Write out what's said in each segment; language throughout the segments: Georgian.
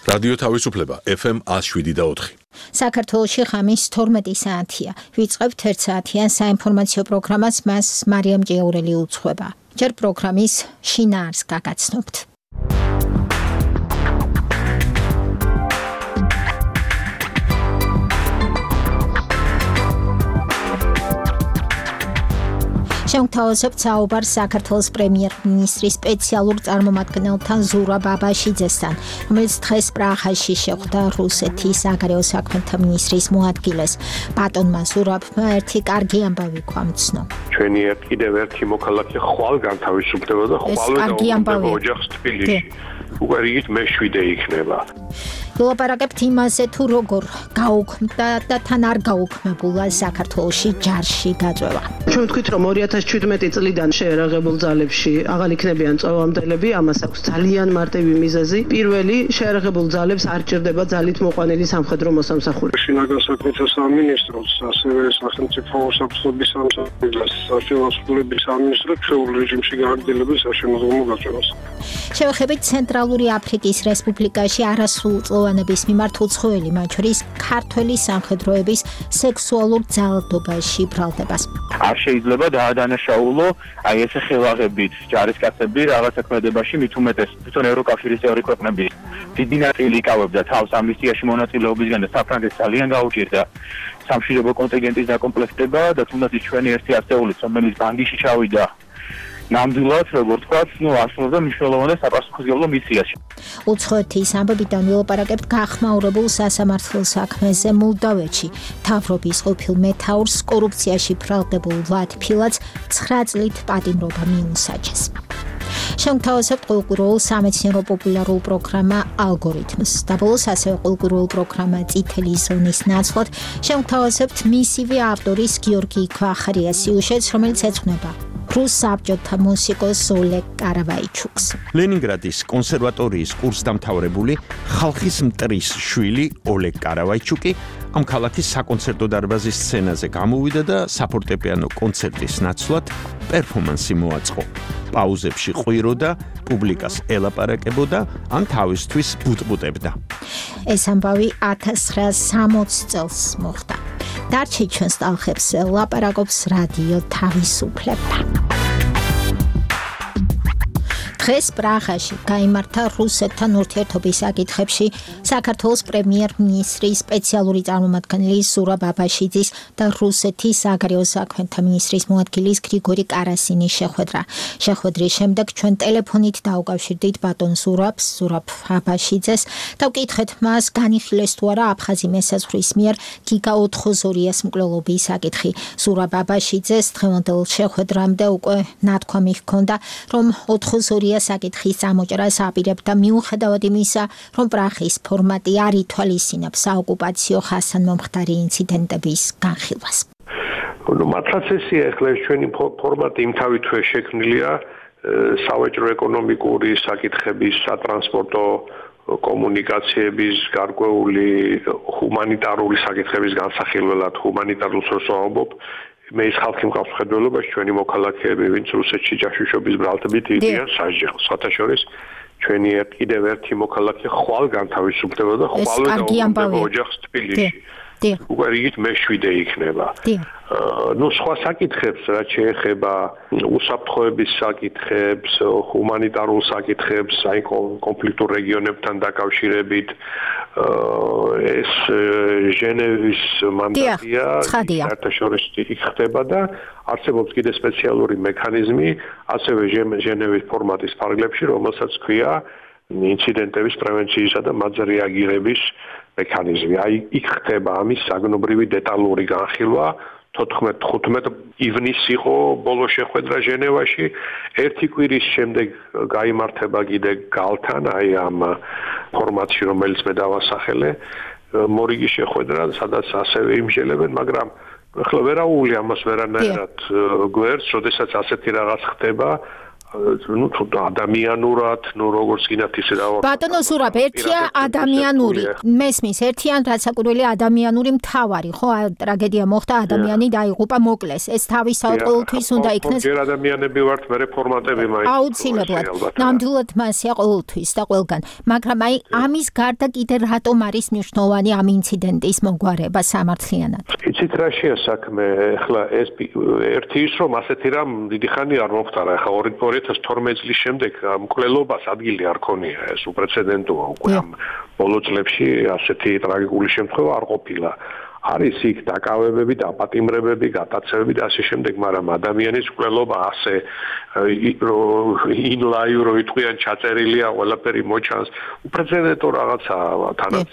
რადიო თავისუფლება FM 107.4. საქართველოში ხამის 12 საათია. ვიწყებთ 1 საათიან საინფორმაციო პროგრამას, მას მარიამ ჭიაურელი უძღვება. ჯერ პროგრამის შინაარსს გაგაცნობთ. Შემგთავაზებთ საუბარს საქართველოს პრემიერ-მინისტრის სპეციალურ წარმომადგენელთან ზურაბ ბაბაშიძესთან, რომელიც დღეს პრაღაში შეხვდა რუსეთის საგარეო საქმეთა მინისტრის მოადგილეს. ბატონმა ზურაბმა ერთი კარგი ამბავი გვამცნო. ჩვენი კიდევ ერთი მოქალაქე ხვალ განთავისუფლდება და ხვალ ოჯახს თბილისში. უკვე რიგით მე-7 იქნება. ვილაპარაკებთ იმაზე, თუ როგორ გაუქმდა და თან არ გაუქმებულა საქართველოში ჯარში გაწვევა. ჩვენ ვთქვით, რომ 2017 წლიდან შეერაღებულ ძალებში აღარ იქნებიან წვევამდელები, ამას აქვს ძალიან მარტივი მიზეზი. პირველი, შეერაღებულ ძალებს არ ჭირდება ძალით მოყვანილი სამხედრო მოსამსახურე. შინაგან საქმეთა სამინისტროს, ასევე სახელმწიფო უსაფრთხოების სამსახურის, საშუალების სამინისტროს ჩვეულ რეჟიმში გააგრძელებს საშემოდგომო გაწევას. შევხედეთ ცენტრალური აფრიკის რესპუბლიკაში არასრულწლოვანების მიმართ უცხოელი, მათ შორის ქართველი სამხედროების სექსუალურ ძალადობაში ბრალდებას. არ შეიძლება დაადანაშაულო აი ესე ხელაღებით ჯარისკაცები რაღაც საქმედებაში, მით უმეტეს თვითონ ევროკავშირის წევრი ქვეყნები დიდი ნაწილი იკავებდა თავს ამნისტიაში მონაწილეობისგან და საფრანგეთს ძალიან გაუჭირდა სამშვიდობო კონტინგენტის დაკომპლექტება და თუნდაც ჩვენი ერთი ათეულიც, რომელიც ბანგიში ჩავიდა ნამდვილად, როგორც ვთქვათ, ასრულებდა მნიშვნელოვან საპასუხისმგებლო მისიას. უცხოეთის ამბებიდან ვილაპარაკებთ გახმაურებულ სასამართლო საქმეზე მოლდავეთში. თავრობის ყოფილ მეთაურს კორუფციაში ბრალდებულ ვლად ფილატს 9 წლით პატიმრობა მიუსაჯეს. შემგთავაზებთ კულტურულ სამეცნიერო პოპულარულ პროგრამა ალგორითმს. დაბოლოს ასევე კულტურულ პროგრამა წითელი ზონის ნაცვლად შემგთავაზებთ მისივე ავტორის გიორგი ქვახარიას სიუჟეტს, რომელიც ეძღვნება რუს საბჭოთა მუსიკოს ოლეგ კარავაიჩუკს. ლენინგრადის კონსერვატორიის კურსდამთავრებული ხალხის მტრის შვილი ოლეგ კარავაიჩუკი ამ ქალაქის საკონცერტო დარბაზის სცენაზე გამოვიდა და საფორტეპიანო კონცერტის ნაცვლად პერფორმანსი მოაწყო. პაუზებში ყვიროდა, პუბლიკას ელაპარაკებოდა, ან თავისთვის ბუტბუტებდა. ეს ამბავი 1960 წელს მოხდა. დარჩი ჩვენს ტალღებს ლაპარაკობს რადიო თავისუფლება. დღეს პრაღაში გაიმართა რუსეთთან ურთიერთობის საკითხებში საქართველოს პრემიერ-მინისტრის სპეციალური წარმომადგენელი ზურაბ ბაბაშიძის და რუსეთის საგარეო საქმეთა მინისტრის მოადგილის გრიგორი კარასინის შეხვედრა. შეხვედრის შემდეგ ჩვენ ტელეფონით დაუკავშირდით ბატონ ზურაბ ბაბაშიძეს და ვკითხეთ მას, განიხილეს თუ არა აფხაზი მესაზღვრის მიერ გიგა 82-ის მკვლელობის საკითხი. ზურაბ ბაბაშიძეს დღევანდელ შეხვედრამდე უკვე ნათქვამი ჰქონდა, რომ 82 საკითხის ამოჭრას აპირებდა მიუხედავად იმისა, რომ პრაღის ფორმატი არ ითვალისწინებს საოკუპაციო ხასანმომხდარი ინციდენტების განხილვას. მართლაც ესეა, ახლა ჩვენი ფორმატი იმთავითვე შექმნილია სავაჭრო ეკონომიკური საკითხების, სატრანსპორტო კომუნიკაციების, გარკვეული ჰუმანიტარული საკითხების განსახილველად, ჰუმანიტარულს ვამბობ. მე ის ხალხი მყავს მხედველობაში, ჩვენი მოქალაქეები, ვინც რუსეთში ჯაშუშობის ბრალდებით იდიან სასჯელს. სხვათა შორის ჩვენი კიდევ ერთი მოქალაქე ხვალ განთავისუფლდება და ხვალ დაუბრუნდება ოჯახს თბილისში. უკვე რიგით მე-7 იქნება. სხვა საკითხებს, რაც შეეხება უსაფრთხოების საკითხებს, ჰუმანიტარულ საკითხებს, აი კონფლიქტურ რეგიონებთან დაკავშირებით, ეს ჟენევის მანდატია, საერთაშორისო იქ ხდება და არსებობს კიდე სპეციალური მექანიზმი, ასევე ჟენევის ფორმატის ფარგლებში, რომელსაც ქვია ინციდენტების პრევენციისა და მათზე რეაგირების მექანიზმი. აი იქ ხდება ამის საგნობრივი დეტალური განხილვა. 14-15 ივნისს იყო ბოლო შეხვედრა ჟენევაში. ერთი კვირის შემდეგ გაიმართება კიდე გალთან, აი ამ ფორმატში, რომელიც მე დავასახელე, მორიგი შეხვედრა, სადაც ასევე იმსჯელებენ, მაგრამ ახლა ვერაული ამას ვერანაირად გვერდს, როდესაც ასეთი რაღაც ხდება, თუ ადამიანურად, როგორც გინდათ ისე დავა. ბატონო ზურაბ, ერთია ადამიანური. მესმის, ერთიან რაცაკურველი ადამიანური მთავარი, ხო? ტრაგედია მოხდა, ადამიანი დაიღუპა, მოკლეს. ეს თავისთავად ყოველთვის უნდა იქნეს. ჯერ ადამიანები ვართ, მე რეფორმატები მაინც. აუცილებლად. ნამდვილად მასია ყოველთვის და ყველგან. მაგრამ აი ამის გარდა კიდე რატომ არის მნიშვნელოვანი ამ ინციდენტის მოგვარება სამართლიანად? იცით რა შეა საქმე? ეხლა ეს ერთი ის რომ ასეთი რამ დიდი ხანი არ მომხდარა. ეხლა 2012 წლის შემდეგ მკვლელობას ადგილი არ ქონია, ეს უპრეცედენტოა უკვე ამ ბოლო წლებში ასეთი ტრაგიკული შემთხვევა არ ყოფილა. არის იქ დაკავებები, დაპატიმრებები, გატაცებები და ასე შემდეგ, მაგრამ ადამიანის მკვლელობა ასე ინლაივ რო იტყვიან ჩაწერილია, ყველაფერი მოჩანს, უპრეცედენტო რაღაცაა თანაც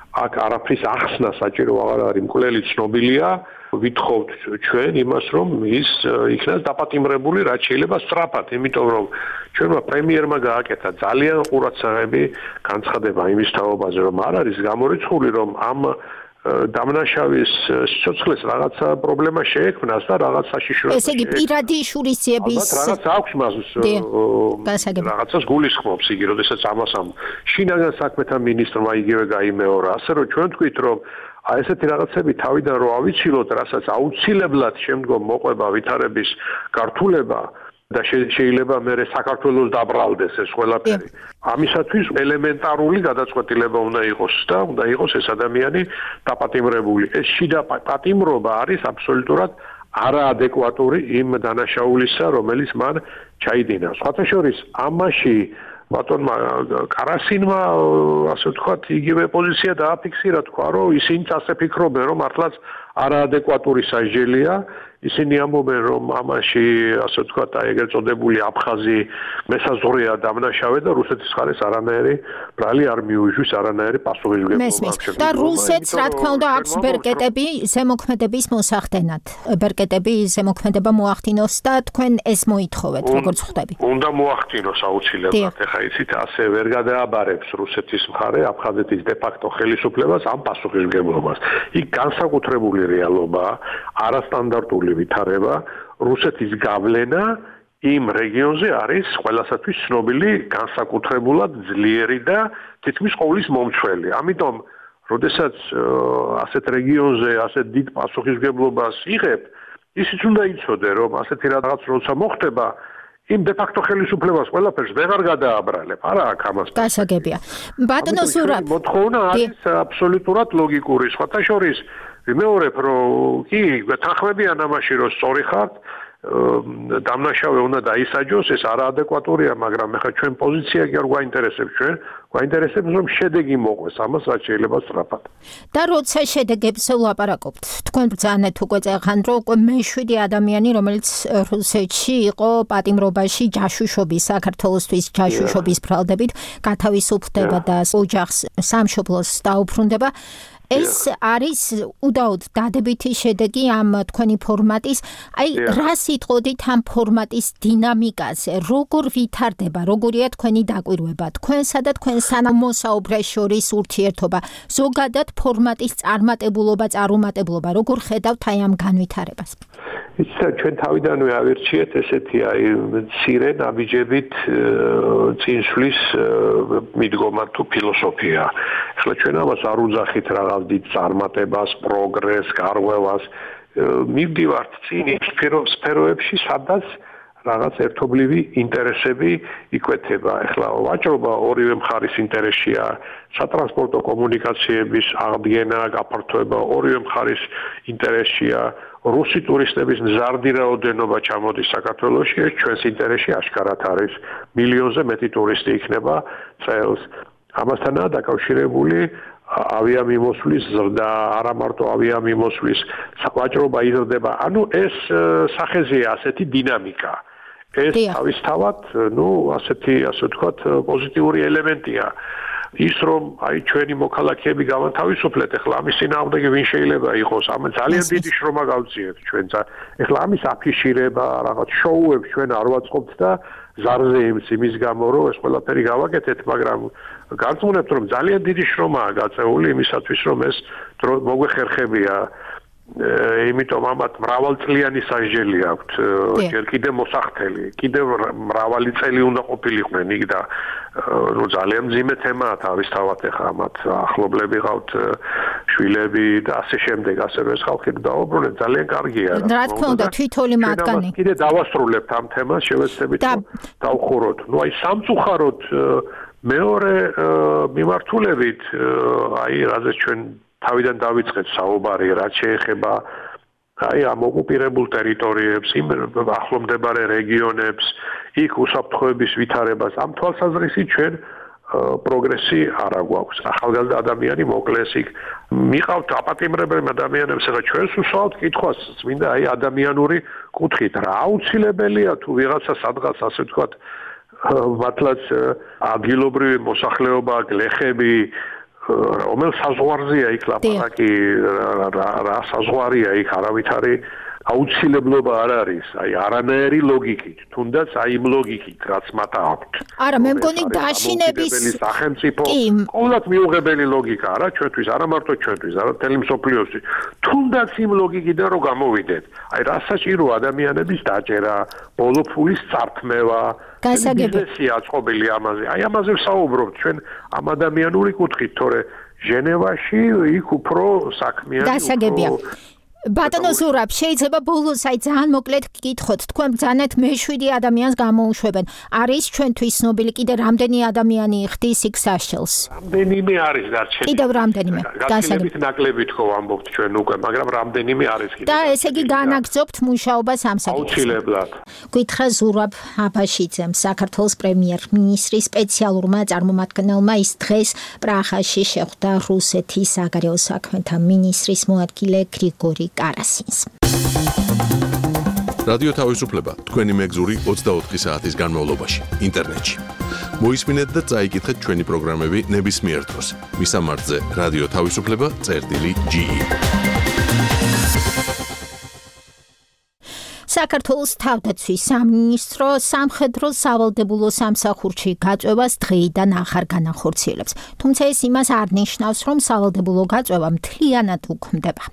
აქ არაფრის ახსნა საჭირო აღარ არის, მკვლელი ცნობილია. ვითხოვთ ჩვენ იმას, რომ ის იქნას დაპატიმრებული, რაც შეიძლება სწრაფად, იმიტომ რომ ჩვენმა პრემიერმა გააკეთა ძალიან ყურადსაღები განცხადება იმის თაობაზე, რომ არ არის გამორიცხული, რომ ამ დამნაშავის სიცოცხლეს რაღაცა პრობლემა შეექმნას და რაღაც საშიშროება. ესე იგი პირადი შურისძიების რაღაც აქვს მას რაღაცას გულისხმობს იგი, როდესაც ამას შინაგან საქმეთა მინისტრმა იგივე გაიმეორა, ასე რომ ჩვენ თქვით, რომ აი ესეთი რაღაცები თავიდან რო ავიცილოთ, რასაც აუცილებლად შემდგომ მოყვება ვითარების გართულება და შეიძლება მე საქართველოს დაბრალდეს ეს ყველაფერი. ამისათვის ელემენტარული გადაწყვეტილება უნდა იყოს და უნდა იყოს ეს ადამიანი დაპატიმრებული. ეს შიდა პატიმრობა არის აბსოლუტურად არაადეკვატური იმ დანაშაულისა, რომელიც მან ჩაიდინა. სხვათა შორის ამაში ბატონმა კარასინმა ასე ვთქვათ, იგივე პოზიცია დააფიქსირა, თქვა, რომ ისინი ასე ფიქრობენ, რომ მართლაც არაადეკვატური სასჯელია. ისინი ამბობენ, რომ ამაში ასე ვთქვათ, აი ეგრეთ წოდებული აფხაზი მესაზღვრეა დამნაშავე და რუსეთის მხარეს არანაირი ბრალი არ მიუჟვის, არანაირი პასუხისმგებლობა. და რუსეთს რა თქმა უნდა აქვს ბერკეტები ზემოქმედების მოსახდენად. ბერკეტები ზემოქმედება მოახდინოს და თქვენ ეს მოითხოვეთ, როგორც ხვდები. უნდა მოახდინოს აუცილებლად. ეხლა იცით, ასე ვერ გადააბარებს რუსეთის მხარე აფხაზეთის დე-ფაქტო ხელისუფლებას ამ პასუხისმგებლობას. იქ განსაკუთრებული რეალობაა, არასტანდარტული ვითარება, რუსეთის გავლენა იმ რეგიონზე არის ყველასათვის ცნობილი, განსაკუთრებულად ძლიერი და თითქმის ყოვლის მომცველი. ამიტომ, როდესაც ასეთ რეგიონზე ასეთ დიდ პასუხისმგებლობას იღებ, ისიც უნდა იცოდე, რომ ასეთი რაღაც როცა მოხდება, იმ დე-ფაქტო ხელისუფლებას ყველაფერს ვეღარ გადააბრალებ. არა აქ ამას. გასაგებია. ბატონო ზურაბ, მოთხოვნა არის აბსოლუტურად ლოგიკური. სხვათა შორის ვიმეორებ, რომ კი, თანხმებიან ამაში, რომ სწორი ხართ, დამნაშავე უნდა დაისაჯოს, ეს არაადეკვატურია, მაგრამ ეხლა ჩვენ პოზიცია კი არ გვაინტერესებს ჩვენ, გვაინტერესებს რომ შედეგი მოყვეს ამას, რაც შეიძლება სწრაფად. და როცა შედეგებს ვლაპარაკობთ, თქვენ ბრძანეთ უკვე წეხან, რომ უკვე მე-7 ადამიანი, რომელიც რუსეთში იყო პატიმრობაში ჯაშუშობის, საქართველოსთვის ჯაშუშობის ბრალდებით, გათავისუფლდება და ოჯახს სამშობლოს დაუბრუნდება. ეს არის უდაოდ დადებითი შედეგი ამ თქვენი ფორმატის. აი, რა სიტყოდით ამ ფორმატის დინამიკაზე, როგორ ვითარდება, როგორია თქვენი დაკვირვება, თქვენსა და თქვენ სანამოსაუბრეს შორის ურთიერთობა, ზოგადად ფორმატის წარმატებულობა, წარუმატებლობა, როგორ ხედავთ აი ამ განვითარებას? ისა ჩვენ თავიდანვე ავირჩიეთ ესეთი აი მცირე ნაბიჯებით წინსვლის მიდგომა თუ ფილოსოფია. ეხლა ჩვენ ამას არ უძახით რაღაც დიდ წარმატებას, პროგრესს, გარღვევას. მივდივართ წინ სფეროებში, სადაც რაღაც ერთობლივი ინტერესები იკვეთება. ეხლა ვაჭრობა ორივე მხარის ინტერესია, სატრანსპორტო კომუნიკაციების აღდგენა, გაფართოება ორივე მხარის ინტერესია. რუსი ტურისტების მზარდი რაოდენობა ჩამოდის საქართველოში, ეს ჩვენს ინტერესში აშკარად არის. მილიონზე მეტი ტურისტი იქნება წელს. ამასთანაა დაკავშირებული ავიამიმოსვლის ზრდა, არა მარტო ავიამიმოსვლის ვაჭრობა იზრდება. ანუ ეს სახეზეა ასეთი დინამიკა. ეს თავისთავად, ასეთი, ასე ვთქვათ, პოზიტიური ელემენტია. ის რომ აი ჩვენი მოქალაქეები გავანთავისუფლეთ, ეხლა ამის წინააღმდეგი ვინ შეიძლება იყოს, ამ ძალიან დიდი შრომა გავწიეთ ჩვენ. ეხლა ამის აფიშირება, რაღაც შოუებს ჩვენ არ ვაწყობთ და ზარზე იმის გამო რომ ეს ყველაფერი გავაკეთეთ, მაგრამ გარწმუნებთ რომ ძალიან დიდი შრომაა გაწეული იმისათვის რომ ეს მოგვეხერხებია იმიტომ ამათ მრავალწლიანი სასჯელი აქვთ, ჯერ კიდევ მოსახდელი, კიდევ მრავალი წელი უნდა ყოფილიყვნენ იქ და ну ძალიან მძიმე თემაა თავისთავად ახლა ამათ ახლობლები ყავთ შვილები და ასე შემდეგ ასევე ეს ხალხი დაუბრუნეთ ძალიან კარგია რა თქმა უნდა თვითონი მათგანი კიდე დავასრულებთ ამ თემას შევეცდებით დავხუროთ ну აი სამწუხაროდ მეორე მიმართულებით აი რაზეც ჩვენ თავიდან დავიწყეთ საუბარი რაც შეეხება აი ამ ოკუპირებულ ტერიტორიებს, იმ ახლომდებარე რეგიონებს, იქ უსაფრთხოების ვითარებას ამ თვალსაზრისით ჩვენ პროგრესი არ აგვაქვს. ახალგაზრდა ადამიანი მოკლეს იქ მიყავთ აპატიმრებელ ადამიანებს, ახლა ჩვენს უსვამთ კითხვას, წმინდა აი ადამიანური კუთხით, რა აუცილებელია თუ ვიღაცა სადღაც ასე ვთქვათ, მართლაც ადგილობრივი მოსახლეობა, გლეხები რომელ საზღვარზეა იქ ლაპარაკი რა საზღვარია იქ არავითარი აუცილებლობა არ არის აი არანაირი ლოგიკით თუნდაც აი იმ ლოგიკით რაც მათ აქვთ არა მე მგონი დაშინების სახელმწიფო ყოველად მიუღებელი ლოგიკა არა ჩვენთვის არა მარტო ჩვენთვის არა მთელი მსოფლიოსთვის თუნდაც იმ ლოგიკიდან რო გამოვიდეთ აი რა საჭირო ადამიანების დაჭერა ბოლო ფულის წართმევა გასაგებია აწყობილი ამაზე აი ამაზე ვსაუბრობთ ჩვენ ამ ადამიანური კუთხით თორე ჟენევაში იქ უფრო საქმიანი გასაგებია ბატონო ზურაბ შეიძლება ბოლოს აი ძალიან მოკლედ გკითხოთ თქვენ ბრძანეთ მე-7 ადამიანს გამოუშვებენ არის ჩვენთვის ცნობილი კიდე რამდენი ადამიანი ხდის იქ საშელს რამდენიმე არის დარჩენილი კიდევ რამდენიმე გასაგებით ნაკლებით ხო ამბობთ ჩვენ უკვე მაგრამ რამდენიმე არის კიდე და ესე იგი განაგრძობთ მუშაობას ამ საკითხზე აუცილებლად გითხრა ზურაბ აბაშიძემ საქართველოს პრემიერ-მინისტრის სპეციალურმა წარმომადგენელმა ის დღეს პრაღაში შეხვდა რუსეთის საგარეო საქმეთა მინისტრის მოადგილე გრიგორი კარასინს. რადიო თავისუფლება თქვენი მეგზური 24 საათის განმავლობაში ინტერნეტში. მოისმინეთ და წაიკითხეთ ჩვენი პროგრამები ნებისმიერ დროს. მისამართზე რადიო თავისუფლება.ge საქართველოს თავდაცვის სამინისტრო სამხედრო სავალდებულო სამსახურში გაწვევას დღეიდან ახარ განახორციელებს. თუმცა ეს იმას არ ნიშნავს, რომ სავალდებულო გაწვევა მთლიანად უქმდება.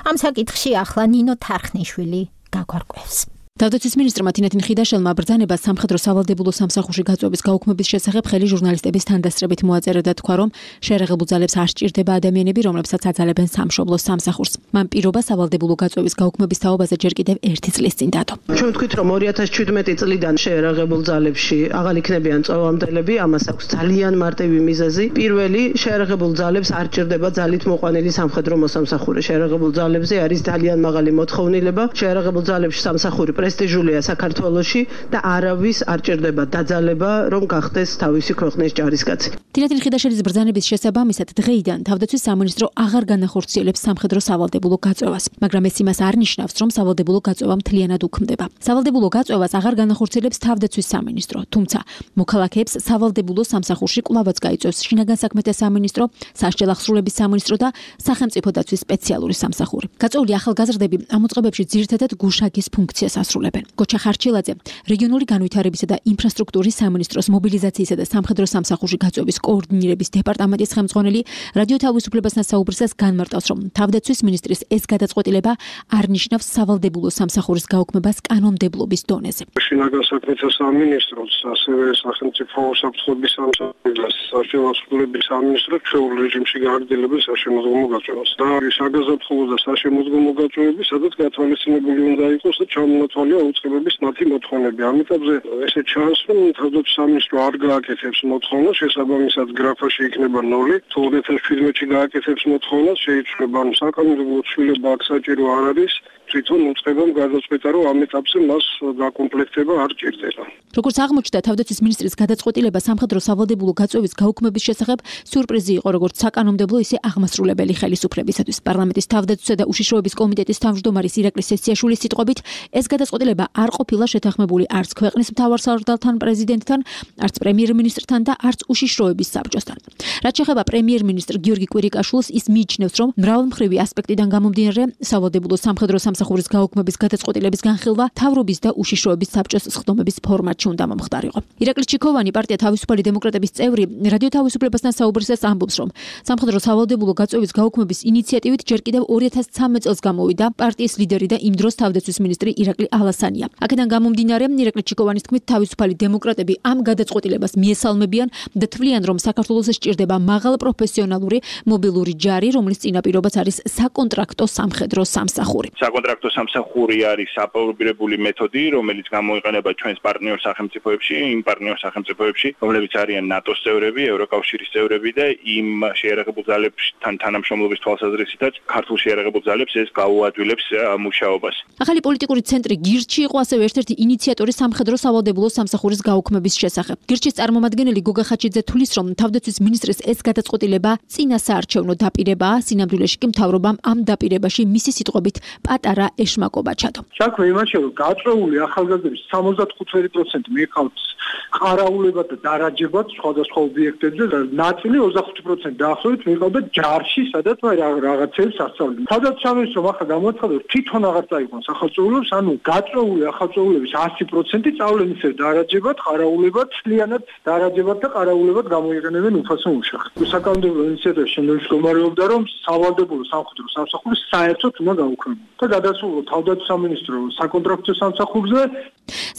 ამ საკითხში ახლა ნინო თარხნიშვილი გაგვარკვევს. თავდაცვის მინისტრმა თინათინ ხიდაშელმა ბრძანება სამხედრო სავალდებულო სამსახურში გაწვევის გაუქმების შესახებ ხელი ჟურნალისტების თანდასწრებით მოაწერა და თქვა, რომ შეერაღებულ ძალებს არ სჭირდება ადამიანები, რომლებსაც აძალებენ სამშობლოს სამსახურს. მან პირობა სავალდებულო გაწვევის გაუქმების თაობაზე ჯერ კიდევ 1 წლის წინ დადო. ჩვენ ვთქვით, რომ 2017 წლიდან შეერაღებულ ძალებში აღარ იქნებიან წვევამდელები, ამას აქვს ძალიან მარტივი მიზეზი. პირველი, შეერაღებულ ძალებს არ სჭირდება ძალით მოყვანილი სამხედრო მოსამსახური. შეერაღებულ ძალებზე არის ძალიან მაღალი მოთხოვნილება. შეერაღებულ ძალებში სამსახური პრესტიჟულია საქართველოში და არავის არ ჭირდება დაძალება, რომ გახდეს თავისი ქვეყნის ჯარისკაცი. თინათინ ხიდაშელის ბრძანების შესაბამისად დღეიდან თავდაცვის სამინისტრო აღარ განახორციელებს სამხედრო სავალდებულო გაწვევას, მაგრამ ეს იმას არ ნიშნავს, რომ სავალდებულო გაწვევა მთლიანად უქმდება. სავალდებულო გაწვევას აღარ განახორციელებს თავდაცვის სამინისტრო, თუმცა მოქალაქეებს სავალდებულო სამსახურში კვლავაც გაიწვევს შინაგან საქმეთა სამინისტრო, სასჯელ აღსრულების სამინისტრო და სახელმწიფო დაცვის სპეციალური სამსახური. გაწვეული ახალგაზრდები ამ მოწყობებში ძირითადად გუშაგის ფუნქციას ასრულებენ. გოჩა ხარჩილაძე, რეგიონული განვითარებისა და ინფრასტრუქტურის სამინისტროს მობილიზაციისა და სამხედრო სამსახურში გაწვევის კოორდინირების დეპარტამენტის ხელმძღვანელი რადიო თავისუფლებასთან საუბრისას განმარტავს, რომ თავდაცვის მინისტრის ეს გადაწყვეტილება არ ნიშნავს სავალდებულო სამსახურის გაუქმებას კანონმდებლობის დონეზე. შინაგან საქმეთა სამინისტროს, ასევე სახელმწიფო საფრთხეების სამსახურის სასჯელ აღსრულების სამინისტრო ჩვეულ რეჟიმში გააგრძელებენ საშემოდგომო გაწვევას. და საგაზაფხულო და საშემოდგომო გაწვევები, სადაც გათვალისწინებული უნდა იყოს და ჩამონათვალია უწყებების მათი მოთხოვნები. ამიტომზე ესე ჩანს, რომ თავდაცვის სამინისტრო არ გააკეთებს მოთხოვნას, შესაბამისად გრაფაში იქნება 0. თუ 2017-ში გააკეთებს მოთხოვნას, შეიცვლება, რომ საკანონმდებლო ცვლილება აქ საჭირო არ არის. თვითონ უწყებამ გადაწყვეტა, რომ ამ ეტაპზე მას გაკომპლექტება არ ჭირდება. როგორც აღმოჩნდა, თავდაცვის მინისტრის გადაწყვეტილება სამხედრო სავალდებულო გაწვევის გაუქმების შესახებ სიურპრიზი იყო როგორც საკანონმდებლო, ისე აღმასრულებელი ხელისუფლებისათვის. პარლამენტის თავდაცვისა და უშიშროების კომიტეტის თავმჯდომარის ირაკლი სესიაშვილის სიტყვებით, ეს გადაწყვეტილება გადაწყვეტილება არ ყოფილა შეთანხმებული არც ქვეყნის მთავარსარდალთან, პრეზიდენტთან, არც პრემიერ-მინისტრთან და არც უშიშროების საბჭოსთან. რაც შეეხება პრემიერ-მინისტრ გიორგი კვირიკაშვილს, ის მიიჩნევს, რომ მრავალმხრივი ასპექტიდან გამომდინარე, სავალდებულო სამხედრო სამსახურის გაუქმების გადაწყვეტილების განხილვა თავრობის და უშიშროების საბჭოს სხდომების ფორმატში უნდა მომხდარიყო. ირაკლი ჩიქოვანი, პარტია თავისუფალი დემოკრატების წევრი, რადიო თავისუფლებასთან საუბრისას ამბობს, რომ სამხედრო სავალდებულო გაწევის გაუქმების ინიციატივით ჯერ კიდევ 2013 წელს გამოვიდა პარტიის ლიდერი და იმ დროს თავდაცვის მინისტრი ირაკლი ალასანია. აქედან გამომდინარე, ირაკლი ჩიქოვანის თქმით, თავისუფალი დემოკრატები ამ გადაწყვეტილებას მიესალმებიან და თვლიან, რომ საქართველოს სჭირდება მაღალ პროფესიონალური მობილური ჯარი, რომლის წინაპირობაც არის საკონტრაქტო სამხედრო სამსახური. საკონტრაქტო სამსახური არის აპრობირებული მეთოდი, რომელიც გამოიყენება ჩვენს პარტნიორ სახელმწიფოებში, იმ პარტნიორ სახელმწიფოებში, რომლებიც არიან ნატოს წევრები, ევროკავშირის წევრები და იმ შეიარაღებულ ძალებთან თანამშრომლობის თვალსაზრისითაც ქართულ შეიარაღებულ ძალებს ეს გაუადვილებს მუშაობას. ახალი პოლიტიკური ცენტრი გირჩი იყო ასევე ერთ-ერთი ინიციატორი სამხედრო სავალდებულო სამსახურის გაუქმების შესახებ. გირჩის წარმომადგენელი გოგა ხაჩიძე თვლის, რომ თავდაცვის მინისტრის ეს გადაწყვეტილება წინასაარჩევნო დაპირებაა, სინამდვილეში კი მთავრობამ ამ დაპირებაში მისი სიტყვებით პატარა ეშმაკობა ჩადო. საქმე იმაშია, რომ გაწეული ახალგაზრდების 75% მიეყავთ ყარაულებად და დარაჯებად სხვადასხვა ობიექტებზე და ნაწილი 25% დაახლოებით მიეყავდათ ჯარში, სადაც რაღაცებს ასწავლდნენ. სადაც სამინისტრომ ახლა გამოაცხადა, რომ თვითონ აღარ წაიყვანს ახალწეულებს, ანუ გაწეული ახალწეულების 100% სწავლენ ისე დარაჯებად, ყარაულებად, ძალიანად დარაჯებად და ყარაულებად გამოიყენებენ უფასო მუშახს. საკანონმდებლო ინიციატივა შემდგომში მდგომარეობდა, რომ სავალდებულო სამხედრო სამსახური საერთოდ უნდა გაუქმებულიყო და გადასულიყო თავდაცვის სამინისტრო საკონტრაქტო სამსახურზე.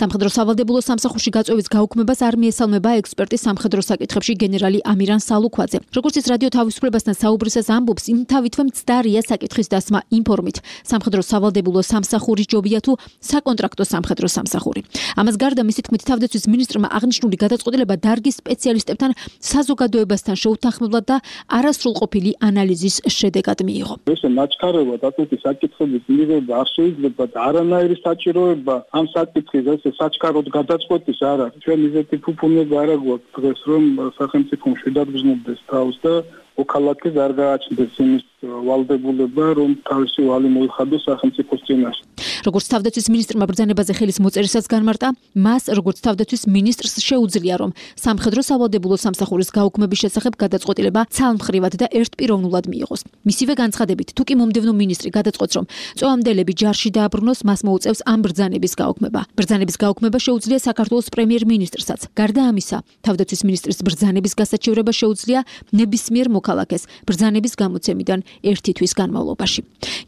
სამხედრო სავალდებულო სამსახურში გაწევის გაუქმებას არ მიესალმება ექსპერტი სამხედრო საკითხებში გენერალი ამირან სალუქვაძე. როგორც ის რადიო თავისუფლებასთან საუბრისას ამბობს, იმ თავითვე მცდარია საკითხის დასმა ინფორმით. სამხედრო სავალდებულო სამსახური ჯობია თუ საკონტრაქტო სამხედრო სამსახური. ამას გარდა მისი თქმით, თავდაცვის მინისტრმა აღნიშნული გადაწყვეტილება დარგის სპეციალისტებთან საზოგადოებასთან შეუთანხმებლად და არასრულყოფილი ანალიზის შედეგად მიიღო. ესე ნაჩქარებად ასეთი საკითხების მიღება არ შეიძლება და არანაირი საჭიროება ამ საკითხის ესე საჩქაროდ გადაწყვეტის არ არის. ჩვენ ისეთი ფუფუნება არ აქვს დღეს, რომ სახელმწიფო მშვიდად გრძნობდეს თავს და მოქალაქეს არ გააჩნდეს იმის ვალდებულება, რომ თავისი ვალი მოიხადოს სახელმწიფოს წინაშე. როგორც თავდაცვის მინისტრმა ბრძანებაზე ხელის მოწერისას განმარტა, მას როგორც თავდაცვის მინისტრს შეუძლია, რომ სამხედრო სავალდებულო სამსახურის გაუქმების შესახებ გადაწყვეტილება ცალმხრივად და ერთპიროვნულად მიიღოს. მისივე განცხადებით, თუ კი მომდევნო მინისტრი გადაწყვეტს, რომ წვავამდელები ჯარში დააბრუნოს, მას მოუწევს ამ ბრძანების გაუქმება. ბრძანების გაუქმება შეუძლია საქართველოს პრემიერ-მინისტრსაც. გარდა ამისა, თავდაცვის მინისტრის ბრძანების გასაჩივრება შეუძლია ნებისმიერ მოქალაქეს ბრძანების გამოცემიდან 1 თვის განმავლობაში.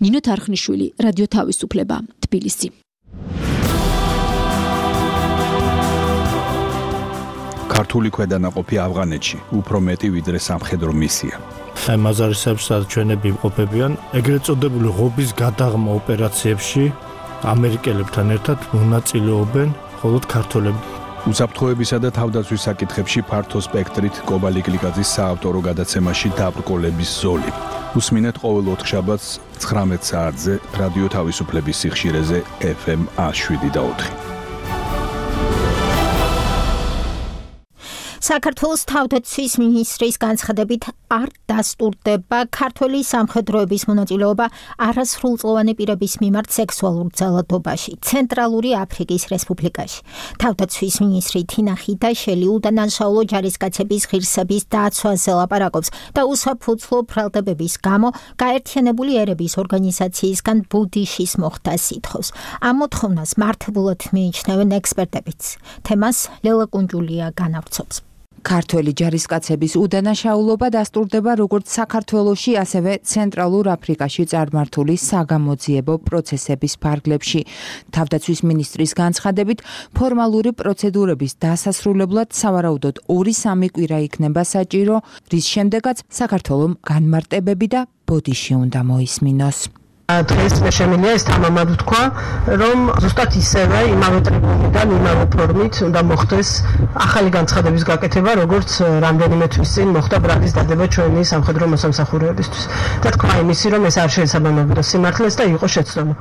ნინო თარხნიშვილი, რადიო თავისუფლება, თბილისი. ქართული ქვედანაყოფი ავღანეთში უფრო მეტი ვიდრე სამხედრო მისია. აი მაზარისებს ჩვენები იმყოფებიან ეგრეთ წოდებული ღობის გადაღმა ოპერაციებში ამერიკელებთან ერთად მონაწილეობენ მხოლოდ ქართველები. უსაფრთხოებისა და თავდაცვის საკითხებში ფართო სპექტრით კობალი კლიკაძის საავტორო გადაცემაში დაბრკოლების ზოლი. უსმინეთ ყოველ ოთხშაბათს 19 საათზე რადიო თავისუფლების სიხშირეზე FM 107.4. საქართველოს თავდაცვის მინისტრის განცხადებით არ დასტურდება ქართველი სამხედროების მონაწილეობა არასრულწლოვანი პირების მიმართ სექსუალურ ძალადობაში ცენტრალური აფრიკის რესპუბლიკაში. თავდაცვის მინისტრი თინა ხიდაშელი უდანაშაულო ჯარისკაცების ღირსების დაცვაზე ლაპარაკობს და უსაფუძვლო ბრალდებების გამო გაერთიანებული ერების ორგანიზაციისგან ბუდიშის მოხდას ითხოვს. ამ მოთხოვნას მართებულად მიიჩნევენ ექსპერტებიც. თემას ლელა კუნჯულია განავრცობს. ქართველი ჯარისკაცების უდანაშაულობა დასტურდება როგორც საქართველოში, ასევე ცენტრალურ აფრიკაში წარმართული საგამოძიებო პროცესების ფარგლებში. თავდაცვის მინისტრის განცხადებით, ფორმალური პროცედურების დასასრულებლად სავარაუდოდ 2-3 კვირა იქნება საჭირო, რის შემდეგაც საქართველომ განმარტებები და ბოდიში უნდა მოისმინოს. დღეს მე შემიძლია ეს თამამად ვთქვა, რომ ზუსტად ისევე იმავე ტრიბუნიდან, იმავე ფორმით უნდა მოხდეს ახალი განცხადების გაკეთება, როგორც რამდენიმე თვის წინ მოხდა ბრალის დადება ჩვენი სამხედრო მოსამსახურეებისთვის. და თქვა იმისი, რომ ეს არ შეესაბამებოდა სიმართლეს და იყო შეცდომა.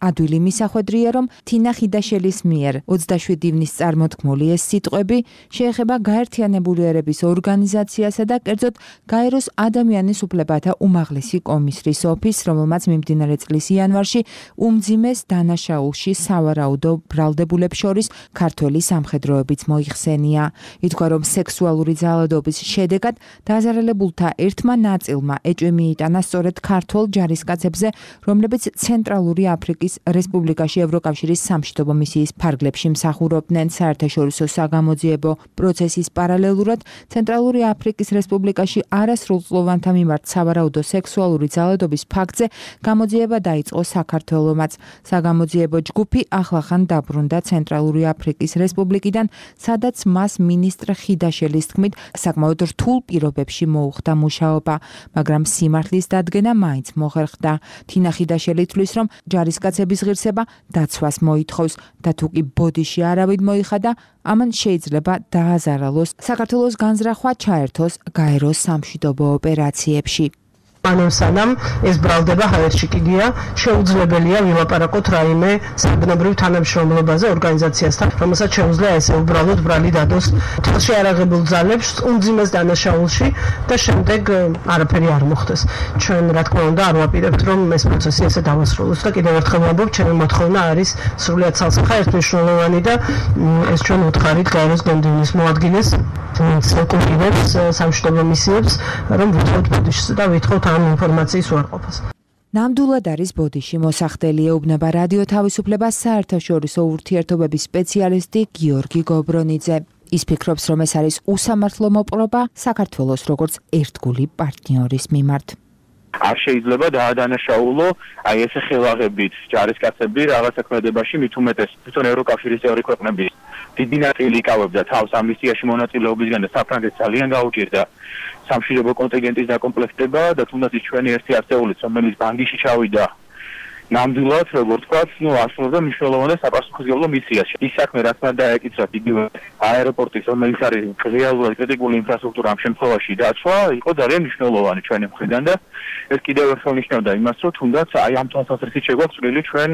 ადვილი მისახვედრია, რომ თინა ხიდაშელის მიერ 27 ივნის წარმოთქმული ეს სიტყვები შეეხება გაერთიანებული ერების ორგანიზაციასა და კერძოდ გაეროს ადამიანის უფლებათა უმაღლესი კომისრის ოფისს, რომელმაც მიმდინარე წლის იანვარში უმძიმეს დანაშაულში სავარაუდო ბრალდებულებს შორის ქართველი სამხედროებიც მოიხსენია. ითქვა, რომ სექსუალური ძალადობის შედეგად დაზარალებულთა ერთმა ნაწილმა ეჭვი მიიტანა სწორედ ქართველ ჯარისკაცებზე, რომლებიც ცენტრალური აფრიკის რესპუბლიკაში ევროკავშირის სამშვიდობო მისიის ფარგლებში მსახურობდნენ. საერთაშორისო საგამოძიებო პროცესის პარალელურად ცენტრალური აფრიკის რესპუბლიკაში არასრულწლოვანთა მიმართ სავარაუდო სექსუალური ძალადობის ფაქტზე გამოძიება დაიწყო საქართველომაც. საგამოძიებო ჯგუფი ახლახან დაბრუნდა ცენტრალური აფრიკის რესპუბლიკიდან, სადაც მას მინისტრ ხიდაშელის თქმით საკმაოდ რთულ პირობებში მოუხდა მუშაობა, მაგრამ სიმართლის დადგენა მაინც მოხერხდა. თინა ხიდაშელი თვლის, რომ ჯარისკაცების ღირსება დაცვას მოითხოვს და თუ კი ბოდიში არავინ მოიხადა, ამან შეიძლება დააზარალოს, საქართველოს განზრახვა ჩაერთოს გაეროს სამშვიდობო ოპერაციებში. სანამ ეს ბრალდება ჰაერში კიდია, შეუძლებელია ვილაპარაკოთ რაიმე საგნებრივ თანამშრომლობაზე ორგანიზაციასთან, რომელსაც შეუძლია ესე უბრალოდ ბრალი დადოს თელში არაღებულ ძალებს უმძიმეს დანაშაულში და შემდეგ არაფერი არ მოხდეს. ჩვენ რა თქმა უნდა არ ვაპირებთ, რომ ეს პროცესი ესე დავასრულოს და კიდევ ერთხელ ვამბობ, ჩემი მოთხოვნა არის სრულიად ცალსახა ერთმნიშვნელოვანი და ეს ჩვენ ვუთხარით გაეროს გენდივნის მოადგილეს ეკუთვნებს სამშვიდობო მისიებს, რომ ვუთხოვთ ბოდიშს და ვითხოვთ ამ ინფორმაციის უარყოფას. ნამდვილად არის ბოდიში მოსახდელი, ეუბნება რადიო თავისუფლებას საერთაშორისო ურთიერთობების სპეციალისტი გიორგი გობრონიძე. ის ფიქრობს, რომ ეს არის უსამართლო მოპყრობა საქართველოს როგორც ერთგული პარტნიორის მიმართ. არ შეიძლება დაადანაშაულო აი ესე ხელაღებით ჯარისკაცები რაღაც საქმედებაში, მით უმეტეს თვითონ ევროკავშირის წევრი ქვეყნების დიდი ნაწილი იკავებდა თავს ამ მისიაში მონაწილეობისგან და საფრანგეთს ძალიან გაუჭირდა სამშვიდობო კონტინგენტის დაკომპლექტება და თუნდაც ჩვენი ერთი ათეულიც, რომელიც ბანგიში ჩავიდა ნამდვილად, როგორც ვთქვათ, ასრულებდა მნიშვნელოვან და საპასუხისმგებლო მისიას. ის საქმე, რაც მან დაეკისრა იგივე აეროპორტის, რომელიც არის რეალურად კრიტიკული ინფრასტრუქტურა ამ შემთხვევაში დაცვა, იყო ძალიან მნიშვნელოვანი ჩვენი მხრიდან და ეს კიდევ ერთხელ ნიშნავდა იმას, რომ თუნდაც აი ამ თვალსაზრისით შეგვაქვს წვრილი ჩვენ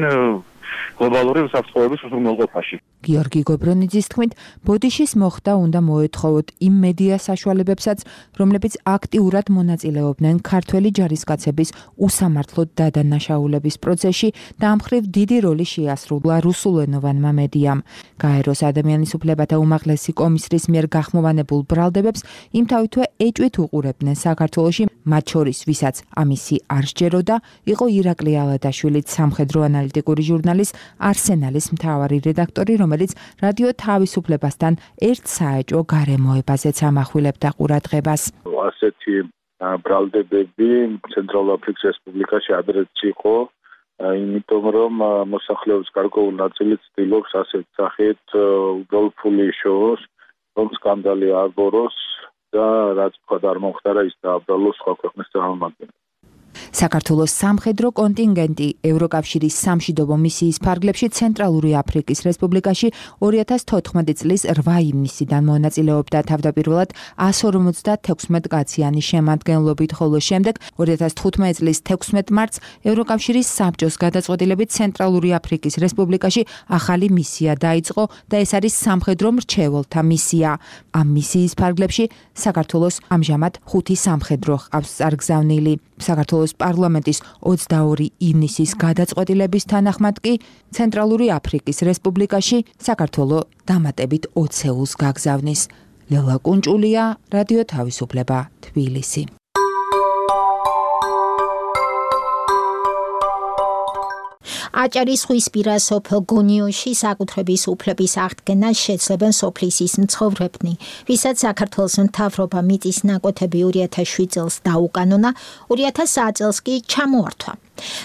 გლობალური უსაფრთხოების უზრუნველყოფაში. გიორგი გობრონიძის თქმით, ბოდიშის მოხდა უნდა მოეთხოვოთ იმ მედია საშუალებებსაც, რომლებიც აქტიურად მონაწილეობდნენ ქართველი ჯარისკაცების უსამართლო დადანაშაულების პროცესში და ამ მხრივ დიდი როლი შეასრულა რუსულენოვანმა მედიამ. გაეროს ადამიანის უფლებათა უმაღლესი კომისრის მიერ გახმოვანებულ ბრალდებებს იმთავითვე ეჭვით უყურებდნენ საქართველოში, მათ შორის ვისაც ამისი არ სჯეროდა, იყო ირაკლი ალადაშვილიც, სამხედრო ანალიტიკური ჟურნალის არსენალის მთავარი რედაქტორი, რომელიც რადიო თავისუფლებასთან ერთ საეჭვო გარემოებაზეც ამახვილებდა ყურადღებას. ასეთი ბრალდებები ცენტრალურ აფრიკის რესპუბლიკაში ადრეც იყო, იმიტომ რომ მოსახლეობის გარკვეული ნაწილი ცდილობს ასეთ სახით უბრალოდ ფული იშოვოს, რომ სკანდალი აღგოროს და რაც თქვა არ მომხდარა ის დააბრალოს სხვა ქვეყნის წარმომადგენლებს. საქართველოს სამხედრო კონტინგენტი ევროკავშირის სამშვიდობო მისიის ფარგლებში ცენტრალური აფრიკის რესპუბლიკაში 2014 წლის 8 ივნისიდან მონაწილეობდა თავდაპირველად 156 კაციანი შემადგენლობით, ხოლო შემდეგ 2015 წლის 16 მარტს ევროკავშირის საბჭოს გადაწყვეტილებით ცენტრალური აფრიკის რესპუბლიკაში ახალი მისია დაიწყო და ეს არის სამხედრო მრჩეველთა მისია. ამ მისიის ფარგლებში საქართველოს ამჟამად 5 სამხედრო ჰყავს წარგზავნილი. საქართველოს პარლამენტის 22 ივნისის გადაწყვეტილების თანახმად კი ცენტრალური აფრიკის რესპუბლიკაში საქართველოს დამატებით 20-ს გაგზავნის. ლელა კუნჭულია, რადიო თავისუფლება, თბილისი. აჭარის ზღვისპირა სოფელ გონიოში საკუთრების უფლების აღდგენას შეძლებენ სოფლის მცხოვრებნი, ვისაც საქართველოს მთავრობა მიწის ნაკვეთები 2007 წელს დაუკანონა, 2009 წელს კი ჩამოართვა.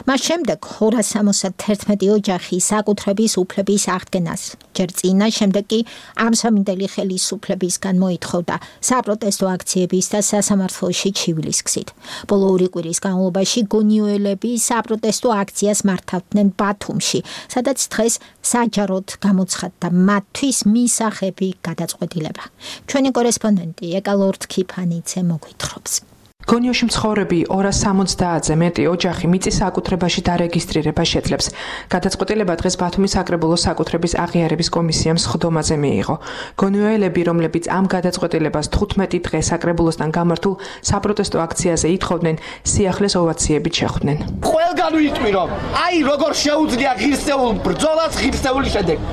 მას შემდეგ 271 ოჯახი საკუთრების უფლების აღდგენას ჯერ წინა, შემდეგ კი ამსამინდელი ხელისუფლებისგან მოითხოვდა საპროტესტო აქციების და სასამართლოში ჩივლის გზით. ბოლო 2 კვირის განმავლობაში გონიოელები საპროტესტო აქციას მართავდნენ ბათუმში, სადაც დღეს საჯაროდ გამოცხადდა მათთვის მისაღები გადაწყვეტილება. ჩვენი კორესპონდენტი ეკალორთ ქიფანიძე მოგვითხრობს. გონიოში მცხოვრები 270-ზე მეტი ოჯახი მიწის საკუთრებაში დარეგისტრირება შეძლებს. გადაწყვეტილება დღეს ბათუმის საკრებულოს საკუთრების აღიარების კომისიამ სხდომაზე მიიღო. გონიოელები, რომლებიც ამ გადაწყვეტილებას 15 დღე საკრებულოსთან გამართულ საპროტესტო აქციაზე ითხოვდნენ, სიახლეს ოვაციებით შეხვდნენ. ყველგან ვიტყვი, რომ აი როგორ შეუძლია ღირსეულ ბრძოლას ღირსეული შედეგი.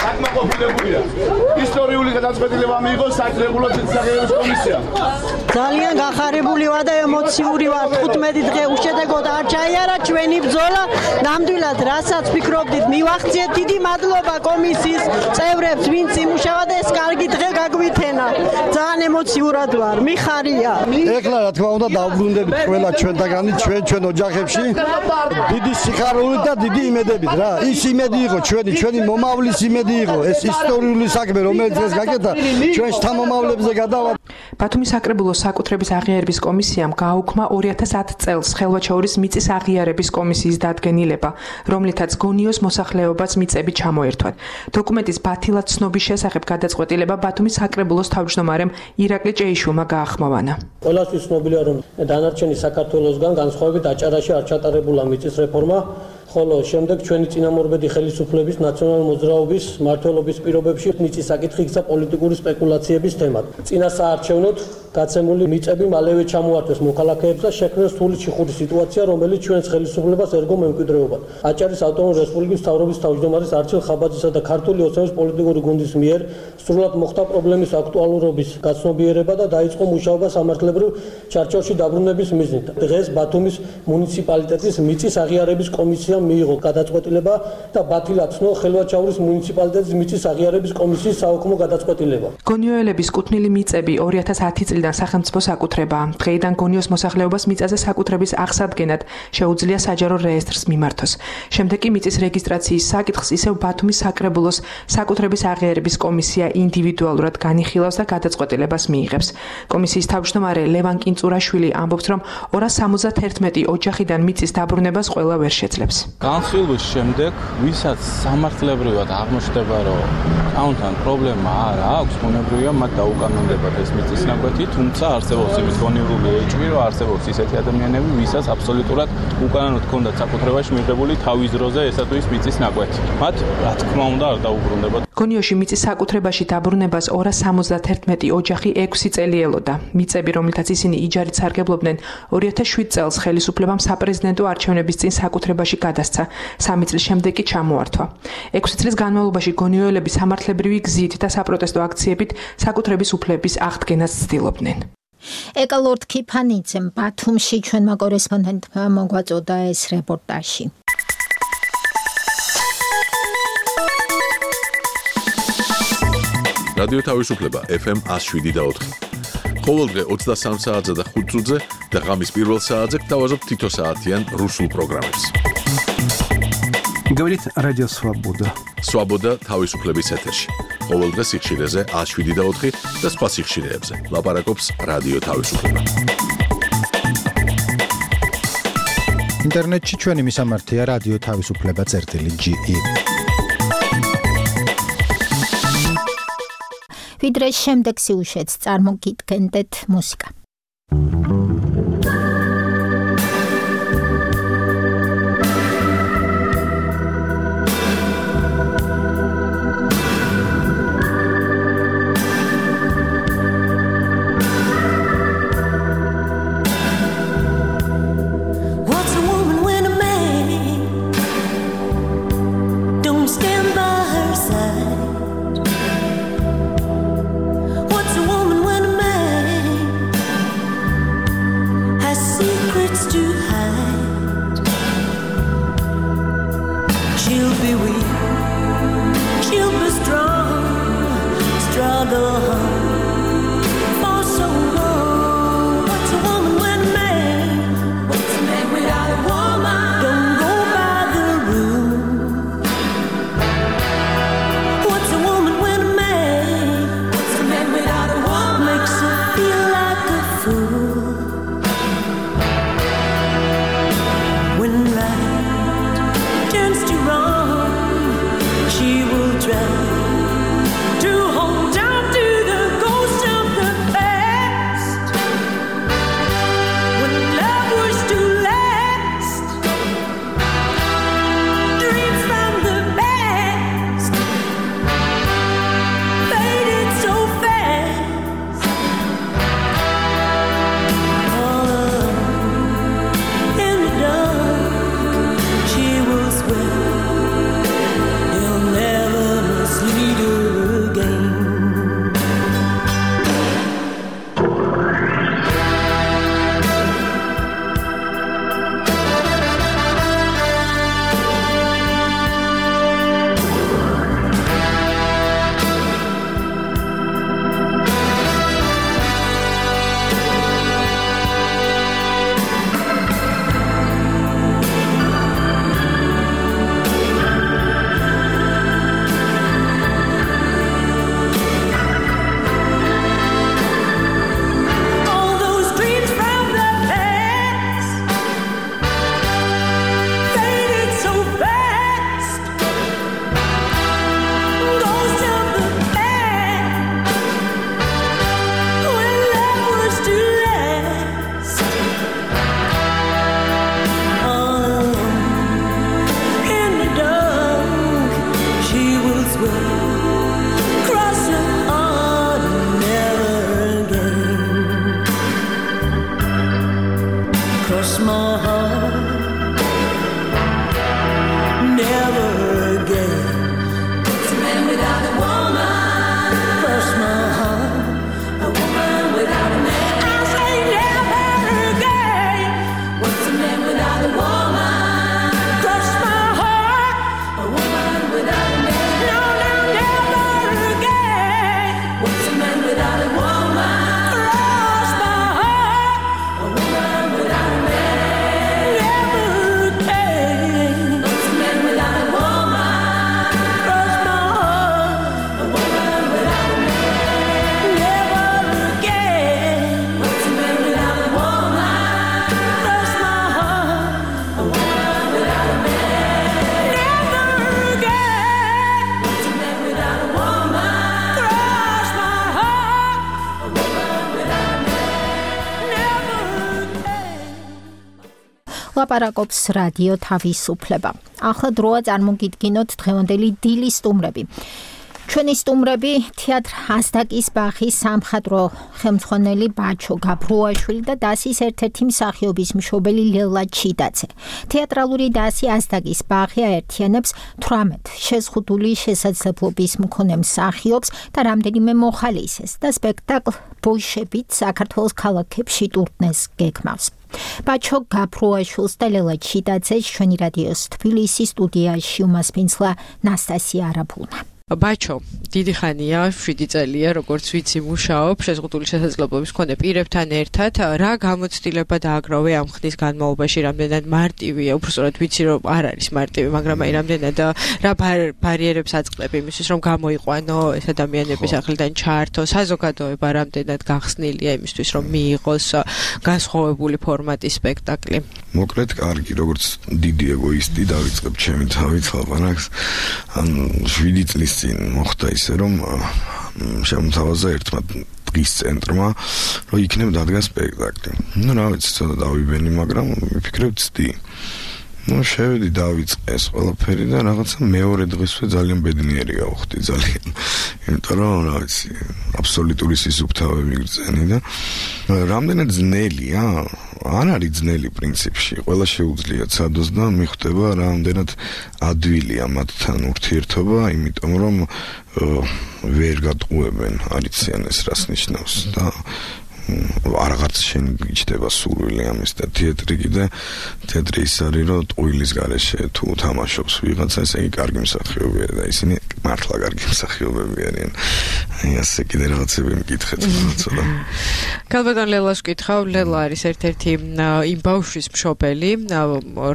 საკმაყოფილებულია. ისტორიული გადაწყვეტილება მიიღო საკრებულოს აღიარების კომისიამ. ძალიან გახარებული ვარ და ემოციური ვარ. 15 დღე უშედეგოდ არ ჩაიარა ჩვენი ბრძოლა. ნამდვილად, რასაც ფიქრობდით, მივახციეთ. დიდი მადლობა კომისიის წევრებს, ვინც იმუშავა და ეს კარგი დღე გაგვითენა. ძალიან ემოციურად ვარ. მიხარია. ეხლა რა თქმა უნდა დავბრუნდებით ყველა ჩვენთაგანი, ჩვენ ოჯახებში. დიდი სიხარული და დიდი იმედებით რა. ის იმედი იყო ჩვენი მომავლის იმედი იყო. ეს ისტორიული საქმე, რომელიც დღეს გაკეთა, ჩვენ შთამომავლებზე გადავა. ბათუმის საკრებულოს საკუთრების აღიარების კომისიამ გააუქმა 2010 წელს ხელვაჩაურის მიწის აღიარების კომისიის დადგენილება, რომლითაც გონიოს მოსახლეობას მიწები ჩამოერთვათ. დოკუმენტის ბათილად ცნობის შესახებ გადაწყვეტილება ბათუმის საკრებულოს თავმჯდომარემ ირაკლი ჭეიშვილმა გაახმოვანა. ყველასთვის ცნობილია, რომ დანარჩენი საქართველოსგან განსხვავებით აჭარაში არ ჩატარებულა მიწის რეფორმა. ხოლო შემდეგ ჩვენი წინამორბედი ხელისუფლების ნაციონალურ მოძრაობის მმართველობის პირობებში მიწის საკითხი იქცა პოლიტიკური სპეკულაციების თემად. წინასაარჩევნოდ გაცემული მიწები მალევე ჩამოართვეს მოქალაქეებს და შექმნეს სრული ჩიხური სიტუაცია, რომელიც ჩვენს ხელისუფლებას ერგო მემკვიდრეობა. აჭარის ავტონომიური რესპუბლიკის მთავრობის თავმჯდომარის არჩილ ხაბაძისა და ქართული ოცნების პოლიტიკური გუნდის მიერ სრულად მოხდა პრობლემის აქტუალურობის გაცნობიერება და დაიწყო მუშაობა სამართლებრივ ჩარჩოში დაბრუნების მიზნით. დღეს ბათუმის მუნიციპალიტეტის მიწის აღიარების კომისია მიიღო გადაწყვეტილება და ბათილად ცნო ხელვაჩაურის მუნიციპალიტეტის მიწის აღიარების კომისიის საოქმო გადაწყვეტილება. გონიოელების კუთვნილი მიწები 2010 წლიდან სახელმწიფო საკუთრებაა. დღეიდან გონიოს მოსახლეობას მიწაზე საკუთრების აღსადგენად შეუძლია საჯარო რეესტრს მიმართოს. შემდეგ კი მიწის რეგისტრაციის საკითხს ისევ ბათუმის საკრებულოს საკუთრების აღიარების კომისია ინდივიდუალურად განიხილავს და გადაწყვეტილებას მიიღებს. კომისიის თავმჯდომარე ლევან კინწურაშვილი ამბობს, რომ 271 ოჯახიდან მიწის დაბრუნებას ყველა ვერ შეძლებს. განხილვის შემდეგ, ვისაც სამართლებრივად აღმოჩნდება, რომ ამთან პრობლემა არ აქვს, ბუნებრივია მათ დაუკანონდებათ ეს მიწის ნაკვეთი, თუმცა არსებობს იმის გონივრული ეჭვი, რომ არსებობს ისეთი ადამიანები, ვისაც აბსოლუტურად უკანონოდ ჰქონდათ საკუთრებაში მიღებული თავის დროზე ესა თუ ის მიწის ნაკვეთი. მათ რა თქმა უნდა არ დაუბრუნდებათ. გონიოში მიწის საკუთრებაში დაბრუნებას 271 ოჯახი 6 წელი ელოდა. მიწები, რომლითაც ისინი იჯარით სარგებლობდნენ, 2007 წელს ხელისუფლებამ საპრეზიდენტო არჩევნების წინ საკუთრებაში გადასცა. 3 წლის შემდეგ კი ჩამოართვა. 6 წლის განმავლობაში გონიოელები სამართლებრივი გზით და საპროტესტო აქციებით საკუთრების უფლების აღდგენას ცდილობდნენ. ეკალორდ ქიფანიძემ ბათუმში ჩვენმა კორესპონდენტმა მოგვაწოდა ეს რეპორტაჟი. რადიო თავისუფლება FM 107.4. ყოველდღე 23 საათზე და 5 წუთზე და ღამის პირველ საათზე გთავაზობ თითო საათიან რუსულ პროგრამებს. Говорит Радио Свобода. Свобода თავისუფლების ეთერში. ყოველდღე სიხშირეზე 107.4 და სხვა სიხშირეებზე. ლაპარაკობს რადიო თავისუფლება. ინტერნეტში ჩვენი მისამართია რადიო თავისუფლება.ge. ვიდრე შემდეგ სიუჟეტს წარმოგიდგენდეთ მუსიკა. What's a woman when a man მოლაპარაკობს რადიო თავისუფლება. ახლა დროა წარმოგიდგინოთ დღევანდელი დილის სტუმრები. ჩვენი სტუმრები თეატრ ასდაკის ბაღის სამხატვრო ხელმძღვანელი ბაჩო გაბრუაშვილი და დასის ერთ-ერთი მსახიობის მშობელი ლელა ჩიდაცე. თეატრალური დასი ასდაკის ბაღი აერთიანებს 18 შეზღუდული შესაძლებლობის მქონე მსახიობს და რამდენიმე მოხალისეს და სპექტაკლ ბოიშებით საქართველოს ქალაქებში ტურნეს გეგმავს. ბაჩო გაბრუაშვილს და ლელა ჩიდაცეს ჩვენი რადიოს თბილისის სტუდიაში უმასპინძლა ნასტასია არაბუნა. ბაჩო, დიდი ხანია, 7 წელია, როგორც ვიცი, მუშაობ შეზღუდული შესაძლებლობის მქონე პირებთან ერთად. რა გამოცდილება დააგროვე ამ ხნის განმავლობაში, რამდენად მარტივია, უბრალოდ ვიცი, რომ არ არის მარტივი, მაგრამ აი რამდენად რა ბარიერებს აწყდები იმისთვის, რომ გამოიყვანო ეს ადამიანები სახლიდან ჩაართო, საზოგადოება რამდენად გახსნილია იმისთვის, რომ მიიღოს განსხვავებული ფორმატის სპექტაკლი. მოკლედ, კარგი, როგორც დიდი ეგოისტი დავიწყებ ჩემი თავით ლაპარაკს. ან 7 წლის წინ მოხდა ისე, რომ შემოთავაზა ერთმა დღის ცენტრმა, რომ იქნებ დადგა სპექტაკლი. რა ვიცი, ცოტა დავიბენი, მაგრამ ვიფიქრებ ცდი. შევედი დავიწყე ეს ყველაფერი და რაღაცა მეორე დღესვე ძალიან ბედნიერი გავხდი ძალიან. იმიტომ რომ რა ვიცი, აბსოლუტური სისუფთავე მიგრძენი და რამდენად ძნელია, არ არის ძნელი პრინციპში, ყველა შეუძლია ცადოს და მიხვდება რამდენად ადვილია მათთან ურთიერთობა, იმიტომ რომ ვერ გატყუებენ, არიციან ეს რას ნიშნავს და არღაც შენ გიჩდება სურვილი ამის და თეატრი კიდე თეატრი ის არის რომ ტყუილის გარეშე თუ თამაშობს ვიღაცა ესე იგი კარგი მსახიობია და ისინი მართლა კარგი მსახიობები არიან. აი ასე კიდე რაღაცები მკითხეთ ცოტა. კალბატონ ლელას ვკითხავ, ლელა არის ერთ-ერთი იმ ბავშვის მშობელი,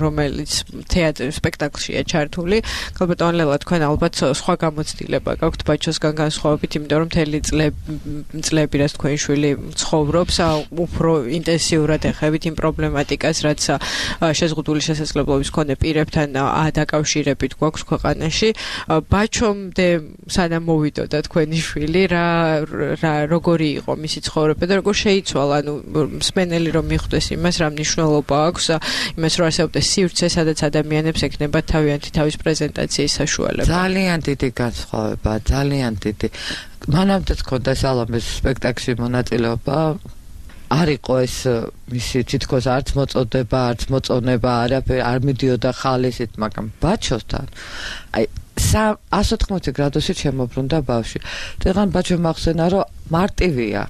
რომელიც თეატრის სპექტაკლშია ჩართული. კალბატონ ლელა, თქვენ ალბათ სხვა გამოცდილება გაქვთ ბაჩოსგან განსხვავებით, იმიტომ რომ მთელი წლები რაც თქვენი შვილი ცხოვრობს, უფრო ინტენსიურად ეხებით იმ პრობლემატიკას, რაც შეზღუდული შესაძლებლობის მქონე პირებთან დაკავშირებით გვაქვს ქვეყანაში. ბაჩომდე სანამ მოვიდოდა თქვენი შვილი, როგორი იყო მისი ცხოვრება და როგორ შეიცვალა, ანუ მსმენელი რომ მიხვდეს იმას, რა მნიშვნელობა აქვს იმას, რომ არსებობს სივრცე, სადაც ადამიანებს ექნებათ თავიანთი თავის პრეზენტაციის საშუალება. ძალიან დიდი განსხვავება, ძალიან დიდი. მანამდე თქონდა სალამეს სპექტაკლში მონაწილეობა, არ იყო ეს მისი თითქოს არც მოწოდება, არც მოწონება, არაფერი არ მიდიოდა ხალისით, მაგრამ ბაჩოსთან აი 180 გრადუსით შემოbrunდა ბავშვი. დღან ბაჩო მახსენა რომ მარტივია,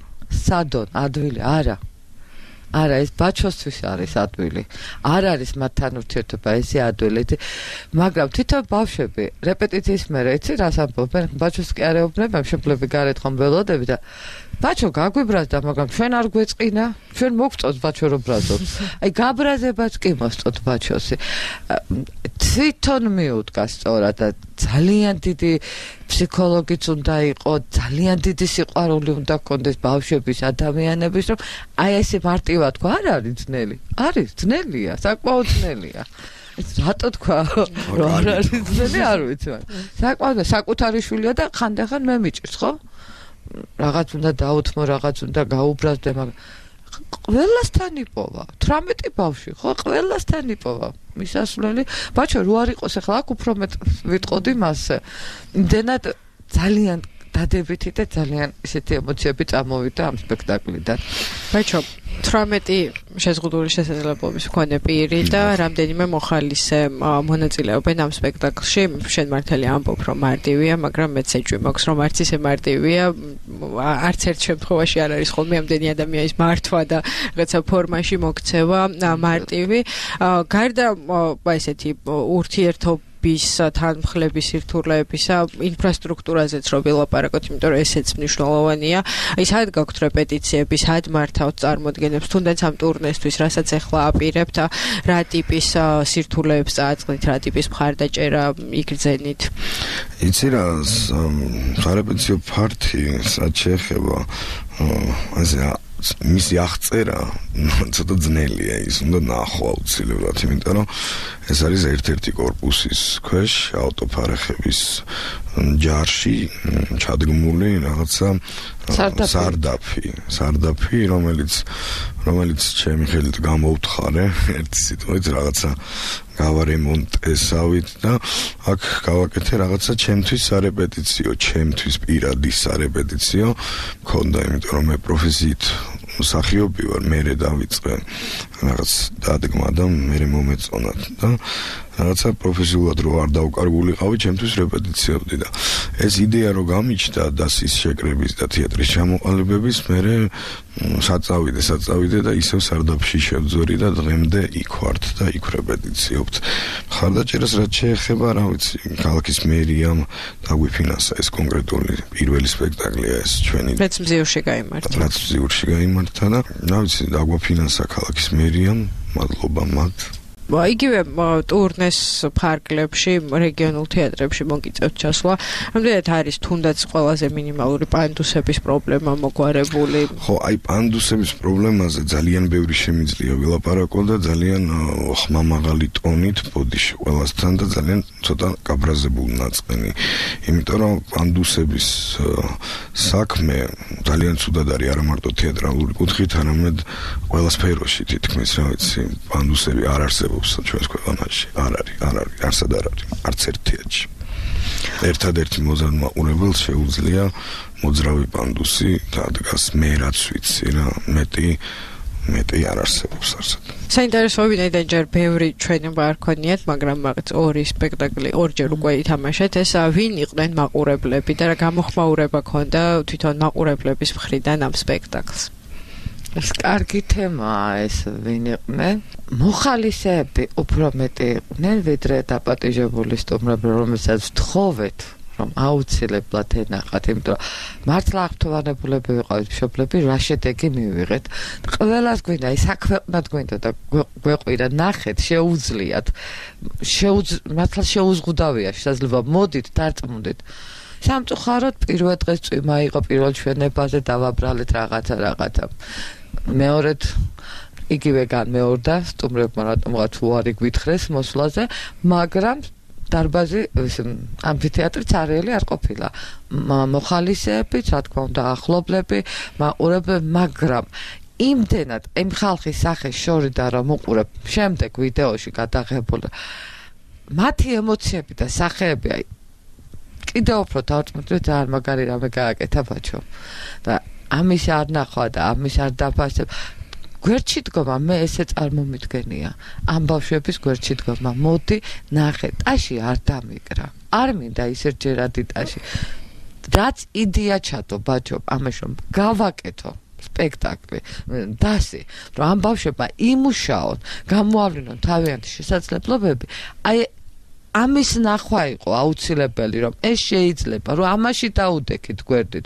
სადონ, ადვილი, არა ეს ბაჩოსთვის არის ადვილი. არ არის მათთან ურთიერთობა ესე ადვილი, მაგრამ თვითონ ბავშვები რეპეტიციის მერე იცი რას ამბობენ, ბაჩოს კი არ ეუბნება, მშობლები გარეთ ხომ ველოდები და ბაჩო გაგვიბრაზდა, მაგრამ ჩვენ არ გვეწყინა, ჩვენ მოგწონს ბაჩო რომ ბრაზობს. აი გაბრაზებაც კი მოსწონთ ბაჩოსი. თვითონ მიუდგა სწორად და ძალიან დიდი ფსიქოლოგიც უნდა იყოს, ძალიან დიდი სიყვარული უნდა ჰქონდეს ბავშვების, ადამიანების, რომ აი ესე მარტივად თქვა, არ არის ძნელი. არის ძნელია, საკმაოდ ძნელია. რატო თქვა, რომ არ არის ძნელი, არ ვიცი. საკმაოდ საკუთარი შვილია და ხანდახან მე მიჭირს, ხო? რაღაც უნდა დაუთმო, რაღაც უნდა გაუბრაზდე, მაგრამ ყველასთან იპოვა. 18 ბავშვი, ხო, ყველასთან იპოვა. მისასვლელი, ბაჩო, რო არ იყოს ახლა აქ უფრო მეტ ვიტყოდი მასზე. იმდენად ძალიან დადებითი და ძალიან ისეთი ემოციები წამოვიდა ამ სპექტაკლიდან. ბაჩო, 18 შეზღუდული შესაძლებლობის მქონე პირი და რამდენიმე მოხალისე მონაწილეობენ ამ სპექტაკლში. შენ მართალია ამბობ, რომ მარტივია, მაგრამ მეც ეჭვი მაქვს, რომ არც ისე მარტივია. არც ერთ შემთხვევაში არ არის ხოლმე ამდენი ადამიანის მართვა და რაღაცა ფორმაში მოქცევა მარტივი. გარდა ესეთი ურთიერთობა თანმხლების სირთულეებისა ინფრასტრუქტურაზეც რო ვილაპარაკოთ, იმიტომ რომ ესეც მნიშვნელოვანია. აი სად გაქვთ რეპეტიციები, სად მართავთ წარმოდგენებს, თუნდაც ამ ტურნესთვის, რასაც ახლა აპირებთ, რა ტიპის სირთულეებს წააწყდით, რა ტიპის მხარდაჭერა იგრძენით? იცი რა, სარეპეტიციო ფართი სად შეეხება ასე მისი აღწერა ცოტა ძნელია, ის უნდა ნახვა აუცილებლად, იმიტომ რომ ეს არის ერთ-ერთი კორპუსის ქვეშ ავტოფარეხების ჯარში ჩადგმული რაღაცა სარდაფი, რომელიც ჩემი ხელით გამოვთხარე ერთი სიტყვით რაღაცა გავარემონტესავით და აქ გავაკეთე რაღაცა ჩემთვის სარეპეტიციო, ჩემთვის პირადი სარეპეტიციო მქონდა, იმიტომ რომ მე პროფესიით მსახიობი ვარ, მერე დავიწყე რაღაც დადგმა და მერე მომეწონათ და რაღაცა პროფესიულად რო არ დავკარგულიყავი, ჩემთვის რეპეტიციებდი და ეს იდეა რო გამიჩნდა დასის შეკრების და თეატრის ჩამოყალიბების, მერე საწავიდე და ისევ სარდაფში შევძვერი და დღემდე იქ ვართ და იქ რეპეტიციობთ. მხარდაჭერას რაც შეეხება, რა ვიცი, ქალაქის მერიამ დაგვიფინანსა ეს კონკრეტული პირველი სპექტაკლია ეს ჩვენი. რაც მზიურში გაიმართა და რა ვიცი, დაგვაფინანსა ქალაქის მერიამ, მადლობა მათ. იგივე ტურნეს ფარგლებში, რეგიონულ თეატრებში მოგიწევთ ჩასვლა. რამდენად არის თუნდაც ყველაზე მინიმალური პანდუსების პრობლემა მოგვარებული? ხო, აი პანდუსების პრობლემაზე ძალიან ბევრი შემიძლია ვილაპარაკო და ძალიან ხმამაღალი ტონით ბოდიში ყველასთან და ძალიან ცოტა გაბრაზებული ნაწყენი. იმიტომ რომ პანდუსების საქმე ძალიან ცუდად არის არა მარტო თეატრალური კუთხით, არამედ ყველა სფეროში თითქმის, რა ვიცი, პანდუსები არ არსებობს. ჩვენს ქვეყანაში არ არის, არსად არ არის, არც ერთ თეატრში. ერთადერთი მოზარდმაყურებელს შეუძლია მოძრავი პანდუსი დადგას, მე რაც ვიცი რა, მეტი არ არსებობს არსად. საინტერესო ვინაიდან ჯერ ბევრი ჩვენება არ ქონიათ, მაგრამ მაგაც ორი სპექტაკლი ორჯერ უკვე ითამაშეთ. ეს ვინ იყვნენ მაყურებლები და რა გამოხმაურება ქონდა თვითონ მაყურებლების მხრიდან ამ სპექტაკლს? ეს კარგი თემაა, ეს ვინ იყვნენ? მოხალისეები უფრო მეტი იყვნენ, ვიდრე დაპატიჟებული სტუმრები, რომელსაც ვთხოვეთ, რომ აუცილებლად ენახათ, იმიტომ რომ მართლა აღთვალებულები ვიყავით მშობლები, რა შედეგი მივიღეთ. ყველას გვინდა, საქვეყნად გვინდა და გვეყვირა, ნახეთ, შეუძლიათ. მართლა შეუზღუდავია შესაძლებლობა, მოდით, დარწმუნდით. სამწუხაროდ პირველ დღეს წვიმა იყო პირველ ჩვენებაზე, დავაბრალეთ რაღაცა. მეორედ იგივე განმეორდა სტუმრებმა რატომღაც უარი გვითხრეს მოსვლაზე, მაგრამ დარბაზი ამფითეატრიც არიელი არ ყოფილა. მოხალისეებიც, რა თქმა უნდა, ახლობლები, მაყურებლები, მაგრამ იმდენად იმ ხალხის სახეს შორიდან რომ უყურებ შემდეგ ვიდეოში გადაღებული მათი ემოციები და სახეები, აი კიდევ უფრო დავწმუნდით, ძალიან მაგარი რამე გააკეთა ბაჩო და ამის არ ნახვა და ამის არ დაფასებ. გვერდში დგომა, მე ესე წარმომიდგენია. ამ ბავშვების გვერდში დგომა, მოდი ნახე, ტაში არ დამიკრა. არ მინდა ისერჯერადი ტაში. რაც იდეა ჩადო ბაჩო, ამაში რომ გავაკეთო სპექტაკლი, დასი, რომ ამ ბავშვებმა იმუშაონ, გამოავლინონ თავიანთი შესაძლებლობები, აი ამის ნახვა იყო აუცილებელი, რომ ეს შეიძლება, რომ ამაში დაუდექით გვერდით.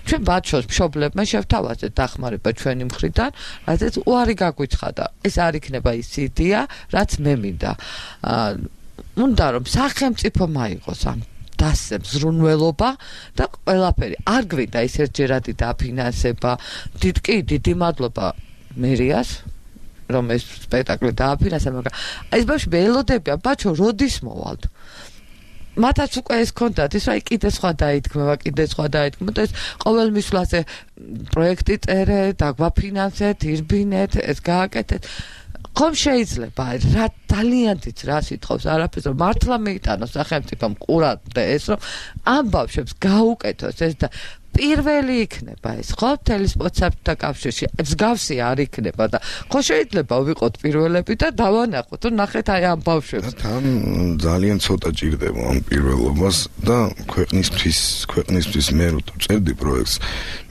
ჩვენ ბაჩოს მშობლებმა შევთავაზეთ დახმარება ჩვენი მხრიდან, რადგან უარი გაგვიცხადა. ეს არ იქნება ის იდეა, რაც მე მინდა. უნდა რომ სახელმწიფო მაიღოს ამ დასზე მზრუნველობა და ყველაფერი. არ გვინდა ის ერთჯერადი დაფინანსება. დიდი მადლობა მერიას, რომ ეს სპექტაკლი დააფინანსა, მაგრამ ეს ბავშვები ელოდებიან, ბაჩო, როდის მოვალთ? მათაც უკვე ეს კონდათ, ის რა კიდე სხვა დაითქმება და ეს ყოველ მისვლაზე პროექტი წერე, დაგვაფინანსეთ, ირბინეთ, ეს გააკეთეთ. ხომ შეიძლება რა ძალიან დიდ რას ითხოვს არაფერს, რომ მართლა მეიტანოს სახელმწიფომ ყურად და ეს რომ ამ ბავშვებს გაუკეთოს ეს და პირველი იქნება ეს, ხო, მთელი სპორტსაბჭოთა კავშირში, მსგავსი არ იქნება და ხო შეიძლება ვიყოთ პირველები და დავანახოთ, რომ ნახეთ აი ამ ბავშვებს. თან ძალიან ცოტა ჭირდება ამ პირველობას და ქვეყნისთვის მე რო წერდი პროექტს,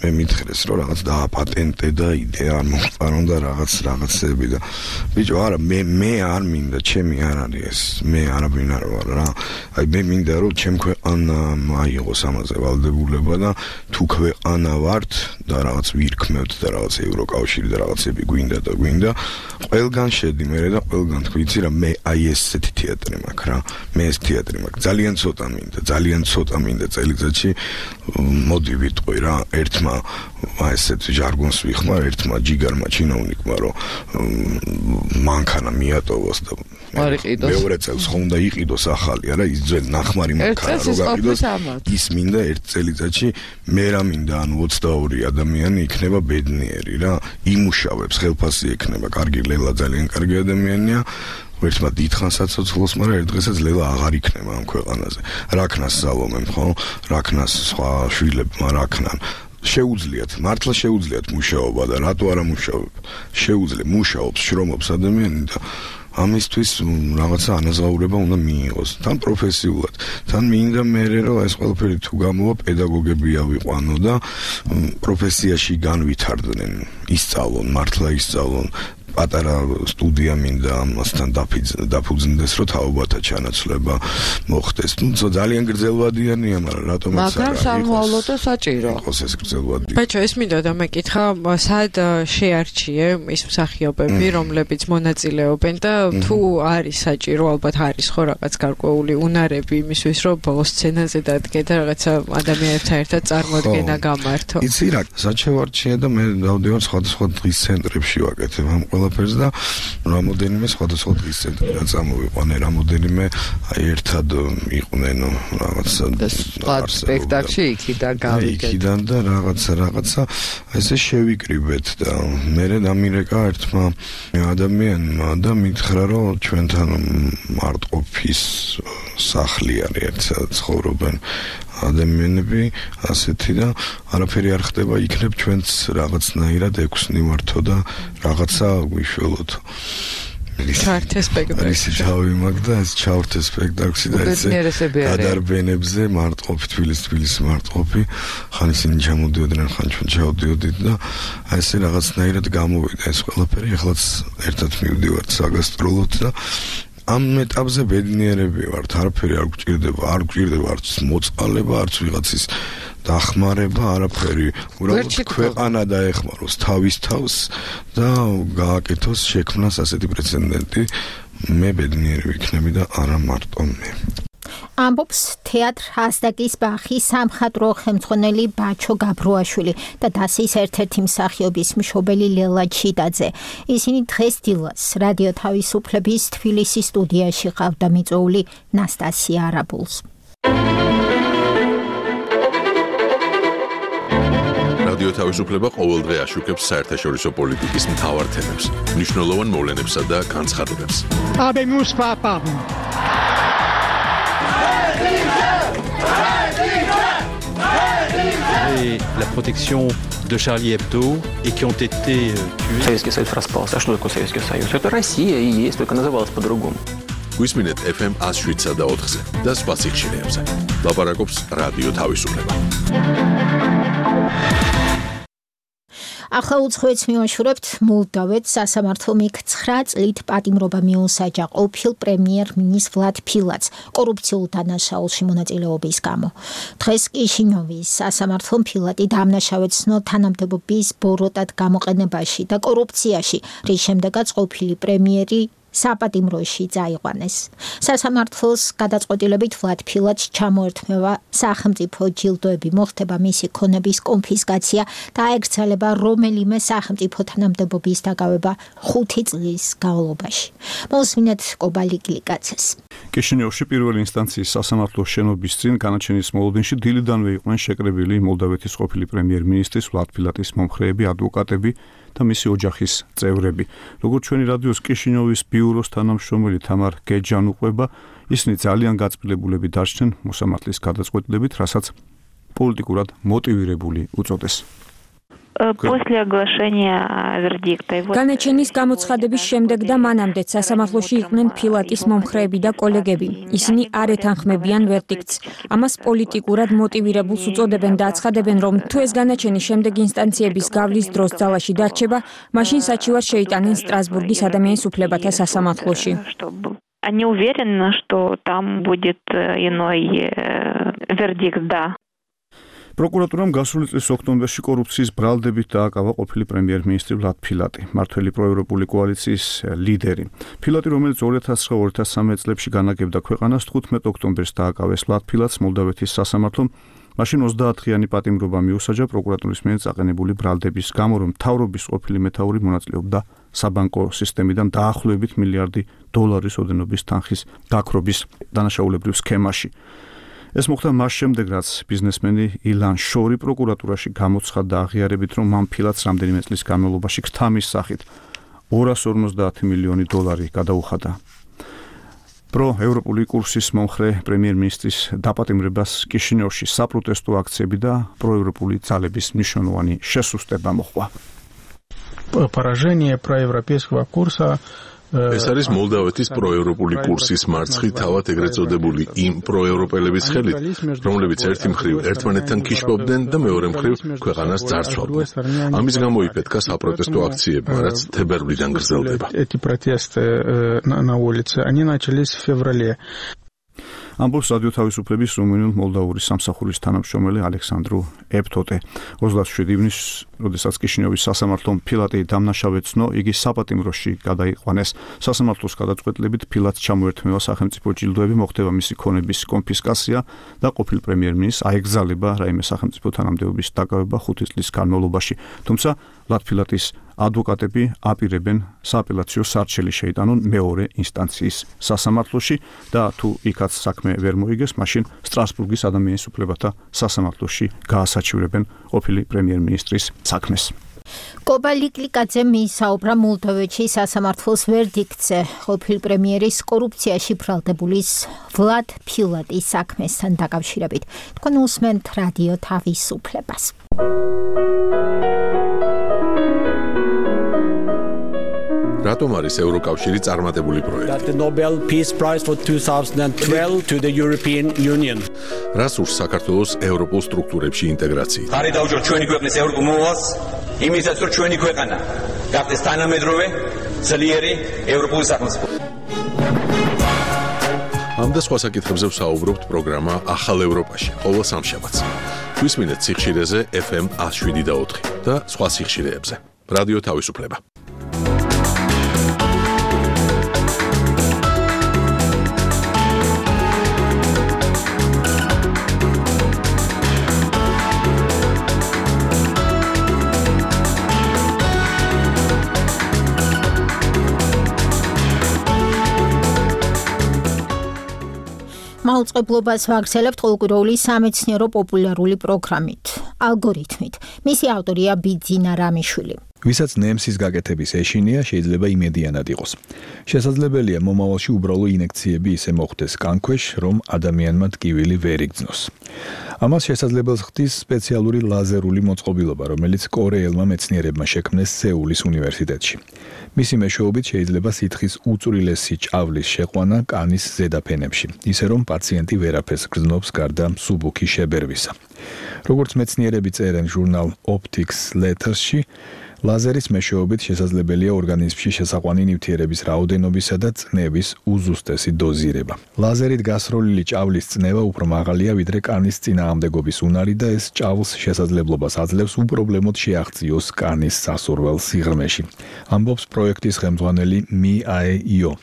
მე მითხრეს, რომ რაღაც დააპატენტე და იდეა არ მოხარონ და რაღაცები და ბიჭო, არა, მე არ მინდა, ჩემი არ არის ეს, მე არაფინ არ ვარ რა. აი მე მინდა რომ ჩემ ქვეყანამ აიღოს ამაზე ვალდებულება და თუ ქვეყანა ვართ და რაღაც ვირქმევთ და რაღაც ევროკავშირი და რაღაცები გვინდა, ყველგან შედი მე და ყველგან თქვიცი რა, მე აი ესეთი თეატრი მაქვს რა, მე ეს თეატრი მაქვს, ძალიან ცოტა მინდა წელიწადში მოდი ვიტყვი რა, ერთმა ესეთ ჟარგონს ვიხმარ, ერთმა ჯიგარმა ჩინოვნიკმა რომ მანქანა მიატოვოს და მეორე წელს ხო უნდა იყიდოს ახალი არა ის ძველი ნახმარი მანქანა რო გაყიდოს ის მინდა ერთ წელიწადში მე რა მინდა ანუ 22 ადამიანი იქნება ბედნიერი რა იმუშავებს ხელფასი ექნება კარგი ლელა ძალიან კარგი ადამიანია ერთმა დიდხანს საცოცხლოს მაგრამ ერთ დღესაც ლელა აღარ იქნება ამ ქვეყანაზე რაქნას სალომემ ხო რაქნას სხვა შვილებმა რაქნან შეუძლიათ მართლა შეუძლიათ მუშაობა და რატო არა მუშაობ შეუძლია მუშაობს შრომობს ადამიანი და ამისთვის რაღაცა ანაზღაურება უნდა მიიღოს თან პროფესიულად თან მინდა მე რომ ეს ყველაფერი თუ გამოვა პედაგოგები ავიყვანო და პროფესიაში განვითარდნენ ისწავლონ მართლა ისწავლონ პატარა სტუდია მინდა ამასთან დაფუძნდეს რომ თაობათა ჩანაცვლება მოხდეს თუმცა ძალიან გრძელვადიანია მაგრამ რატომაც არა მაგრამ სამოავლო და საჭირო იყოს ეს გრძელვადი ბაჭო ეს მინდა და მეკითხა სად შეარჩიე ის მსახიობები რომლებიც მონაწილეობენ და თუ არის საჭირო ალბათ არის ხო რაღაც გარკვეული უნარები იმისთვის რომ ბოლოს სცენაზე დადგე და რაღაცა ადამიანებთან ერთად წარმოდგენა გამართო იცი რა საჩევარჩია და მე დავდივარ სხვადასხვა დღის ცენტრებში ვაკეთებ ამ ყველაფერს და რამოდენიმე სხვადასხვა დღის ცენტრიდან წამოვიყვანე რამოდენიმე აი ერთად იყვნენ რაღაცა სპექტაკლში იქიდან გავიგეთ იქიდან და რაღაცა ესე შევიკრიბეთ და მე დამირეკა ერთმა ადამიანმა და მითხრა რომ ჩვენთან მარტყოფის სახლი არის ერთად ცხოვრობენ ადამიანები ასეთი და არაფერი არ ხდება იქნებ ჩვენც რაღაცნაირად ექვსნი ვართო და რაღაცა გვიშველოთ ჩართე სპექტაკლში ის თავი მაგ და ეს ჩავრთე სპექტაკლში და ესე გადარბენებზე მარტყოფი თბილისის მარტყოფი ხან ისინი ჩამოდიოდნენ ხან ჩვენ ჩავდიოდით და ესე რაღაცნაირად გამოვიდა ეს ყველაფერი ახლაც ერთად მივდივართ საგასტროლოდ და ამ ეტაპზე ბედნიერები ვართ არაფერი არ გვჭირდება არც მოწყალება არც ვიღაცის დახმარება არაფერი უბრალოდ ქვეყანა დაეხმაროს თავის თავს და გააკეთოს შექმნას ასეთი პრეცედენტი მე ბედნიერი ვიქნები და არა მარტო მე ამბობს თეატრ ასდაკის ბახის სამხატვრო ხელმძღვანელი ბაჩო გაბრუაშვილი და დასის ერთ-ერთი მსახიობის მშობელი ლელა ჩიტაძე. ისინი დღეს დილას რადიო თავისუფლების თბილისის სტუდიაში ყავდა მიწვეული ნასტასია არაბულს. რადიო თავისუფლება ყოველდღე აშუქებს საერთაშორისო პოლიტიკის მთავარ თემებს, მნიშვნელოვან მოვლენებსა და განცხადებებს. Et la protection de Charlie Hebdo et qui ont été tués. Советский Союз распался. А что такое Советский Союз? Это Россия и есть, только называлась по-другому. Გვისმინეთ FM 107 და 4-ზე და სხვა სიხშირეებზე. ლაპარაკობს რადიო თავისუფლება. ახლა უცხოეთს მივაშურებთ მოლდავეთს სასამართლომ იქ 9 წლით პატიმრობა მიუსაჯა ყოფილ პრემიერ-მინისტრ ვლად ფილატს კორუფციულ დანაშაულში მონაწილეობის გამო. დღეს კიშინიოვის სასამართლომ ფილატი დამნაშავედ ცნო თანამდებობის ბოროტად გამოყენებაში და კორუფციაში, რის შემდეგაც ყოფილი პრემიერი საპატიმროში წაიყვანეს. სასამართლოს გადაწყვეტილებით ვლად ფილატს ჩამოერთმევა სახელმწიფო ჯილდოები, მოხდება მისი ქონების კონფისკაცია და აეკრძალება რომელიმე სახელმწიფო თანამდებობის დაკავება 5 წლის განმავლობაში. მოსმინეთ კობალი გლიკაცეს. კიშინიოვში პირველი ინსტანციის სასამართლოს შენობის წინ განაჩენის მოლოდინში დილიდანვე იყვნენ შეკრებილი მოლდავეთის ყოფილი პრემიერ-მინისტრის ვლად ფილატის მომხრეები, ადვოკატები და მისი ოჯახის წევრები. როგორც ჩვენი რადიოს კიშინიოვის ბიუროს თანამშრომელი თამარ გეჯან უყვება, ისინი ძალიან გაწმილებულები დარჩნენ მოსამართლის გადაწყვეტილებით, რასაც პოლიტიკურად მოტივირებული უწოდეს. После оглашения вердикта. განაჩენის გამოცხადების შემდეგ და მანამდე სასამართლოში იყვნენ ფილატის მომხრეები და კოლეგები. ისინი არ ეთანხმებიან ვერდიქტს. ამას პოლიტიკურად მოტივირებულს უწოდებენ და აცხადებენ, რომ თუ ეს განაჩენი შემდეგ ინსტანციების გავლის დროს ძალაში დარჩება, მაშინ საჩივარს შეიტანენ სტრასბურგის ადამიანის უფლებათა სასამართლოში. Они уверены, что там будет иной вердикт, да. პროკურატურამ გასული წლის ოქტომბერში კორუფციის ბრალდებით დააკავა ყოფილი პრემიერ-მინისტრი ვლად ფილატი, მართველი პროევროპული კოალიციის ლიდერი. ფილატი, რომელიც 2009-2013 წლებში განაგებდა ქვეყანას, 15 ოქტომბერს დააკავეს ვლად ფილატს მოლდავეთის სასამართლომ მაშინ 30-დღიანი პატიმრობა მიუსაჯა პროკურატურის მიერ წაყენებული ბრალდების გამო, რომ მთავრობის ყოფილი მეთაური მონაწილეობდა საბანკო სისტემიდან დაახლოებით $1 მილიარდი ოდენობის თანხის გაქრობის დანაშაულებრივ სქემაში. ეს მოხდა მას შემდეგ, რაც ბიზნესმენი ილან შორი პროკურატურაში გამოცხადდა და აღიარებით, რომ მან ფილათს რამდენიმე წლის განმავლობაში ქთამის სახით $250 მილიონი გადაუხადა. პროევროპული კურსის მომხრე პრემიერ-მინისტრის დაპატიმრებას კიშინიოვში საპროტესტო აქციები და პროევროპული ძალების მნიშვნელოვანი შესუსტება მოჰყვა. Поражение проевропейского курса ეს არის მოლდავეთის პროევროპული კურსის მარცხი თავად ეგრეთ წოდებული იმ პროევროპელების ხელით, რომლებიც ერთი მხრივ ერთმანეთთან კიშბობდნენ და მეორე მხრივ ქვეყანას ძარცვავდნენ. ამის გამო იფეთქა საპროტესტო აქციებმა, რაც თებერვლიდან გრძელდება. Эти протесты на улице, они начались в феврале. ამბობს რადიო თავისუფლების რუმინულ-მოლდავური სამსახურის თანამშრომელი ალექსანდრუ ეფტოტე. 27 ივნისს, როდესაც კიშინიოვის სასამართლომ ფილატი დამნაშავეცნო, იგი საპატიმროში გადაიყვანეს. სასამართლოს გადაწყვეტილებით ფილატს ჩამოერთმევა სახელმწიფო ჯილდოები, მოხდება მისი ქონების კონფისკაცია და ყოფილ პრემიერ-მინისტრს აეგზალება რაიმე სახელმწიფო თანამდებობის დაკავება 5 წლის განმავლობაში. თუმცა ლატფილატის ადვოკატები აპირებენ სააპელაციო სარჩელი შეიტანონ მეორე ინსტანციის სასამართლოში და თუ იქაც საქმე ვერ მოიგეს, მაშინ სტრასბურგის ადამიანის უფლებათა სასამართლოში გაასაჩივრებენ ყოფილი პრემიერ-მინისტრის საქმეს. კობა ლიკლიკაძე მიისაუბრა მოლდოვეთში სასამართლოს ვერდიქტზე ყოფილ პრემიერის კორუფციაში ბრალდებულის ვლად ფილატის საქმესთან დაკავშირებით. თქვენ უსმენთ რადიო თავისუფლებას. რატომ არის ევროკავშირი წარმატებული პროექტი? The Nobel Peace Prize for 2012 to the European Union. რას ურს საქართველოს ევროპულ სტრუქტურებში ინტეგრაციით? ხარი დაუჭიროთ ჩვენი ქვეყნის ევროპულ მოვალს, იმისაც რომ ჩვენი ქვეყანა გახდეს თანამედროვე, ძლიერი ევროპული სახელმწიფო. ამ და სხვა საკითხებზე ვსაუბრობთ პროგრამა ახალ ევროპაში, ყოველ სამშაბათს. გვისმინეთ სიხშირეზე FM 107.4 და სხვა სიხშირეებზე. რადიო თავისუფლება. მაუწყებლობას ვაგრძელებთ ყოველკვირეული სამეცნიერო პოპულარული პროგრამით, ალგორითმით. მისი ავტორია ბიძინა რამიშვილი. ვისაც ნემსის გაკეთების ეშინია, შეიძლება იმედიანად იყოს. შესაძლებელია მომავალში უბრალო ინექციები ისე მოხდეს კანქვეშ, რომ ადამიანმა ტკივილი ვერ იგრძნოს. ამას შესაძლებელს ხდის სპეციალური ლაზერული მოწყობილობა, რომელიც კორეელმა მეცნიერებმა შექმნეს სეულის უნივერსიტეტში. მისი მეშვეობით შეიძლება სითხის უწვრილესი ჭავლის შეყვანა კანის ზედაფენებში, ისე რომ პაციენტი ვერაფერს გრძნობს გარდა მსუბუქი შებერვისა. როგორც მეცნიერები წერენ ჟურნალ Optics Letters-ში, ლაზერის მეშვეობით შესაძლებელია ორგანიზმში შესაყვანი ნივთიერების რაოდენობისა და წნევის უზუსტესი დოზირება. ლაზერით გასროლილი ჭავლის წნევა უფრო მაღალია ვიდრე კანის წინააღმდეგობის უნარი და ეს ჭავლს შესაძლებლობას აძლევს უპრობლემოდ შეაღწიოს კანის სასურველ სიღრმეში. ამბობს პროექტის ხელმძღვანელი Mi-ae-io.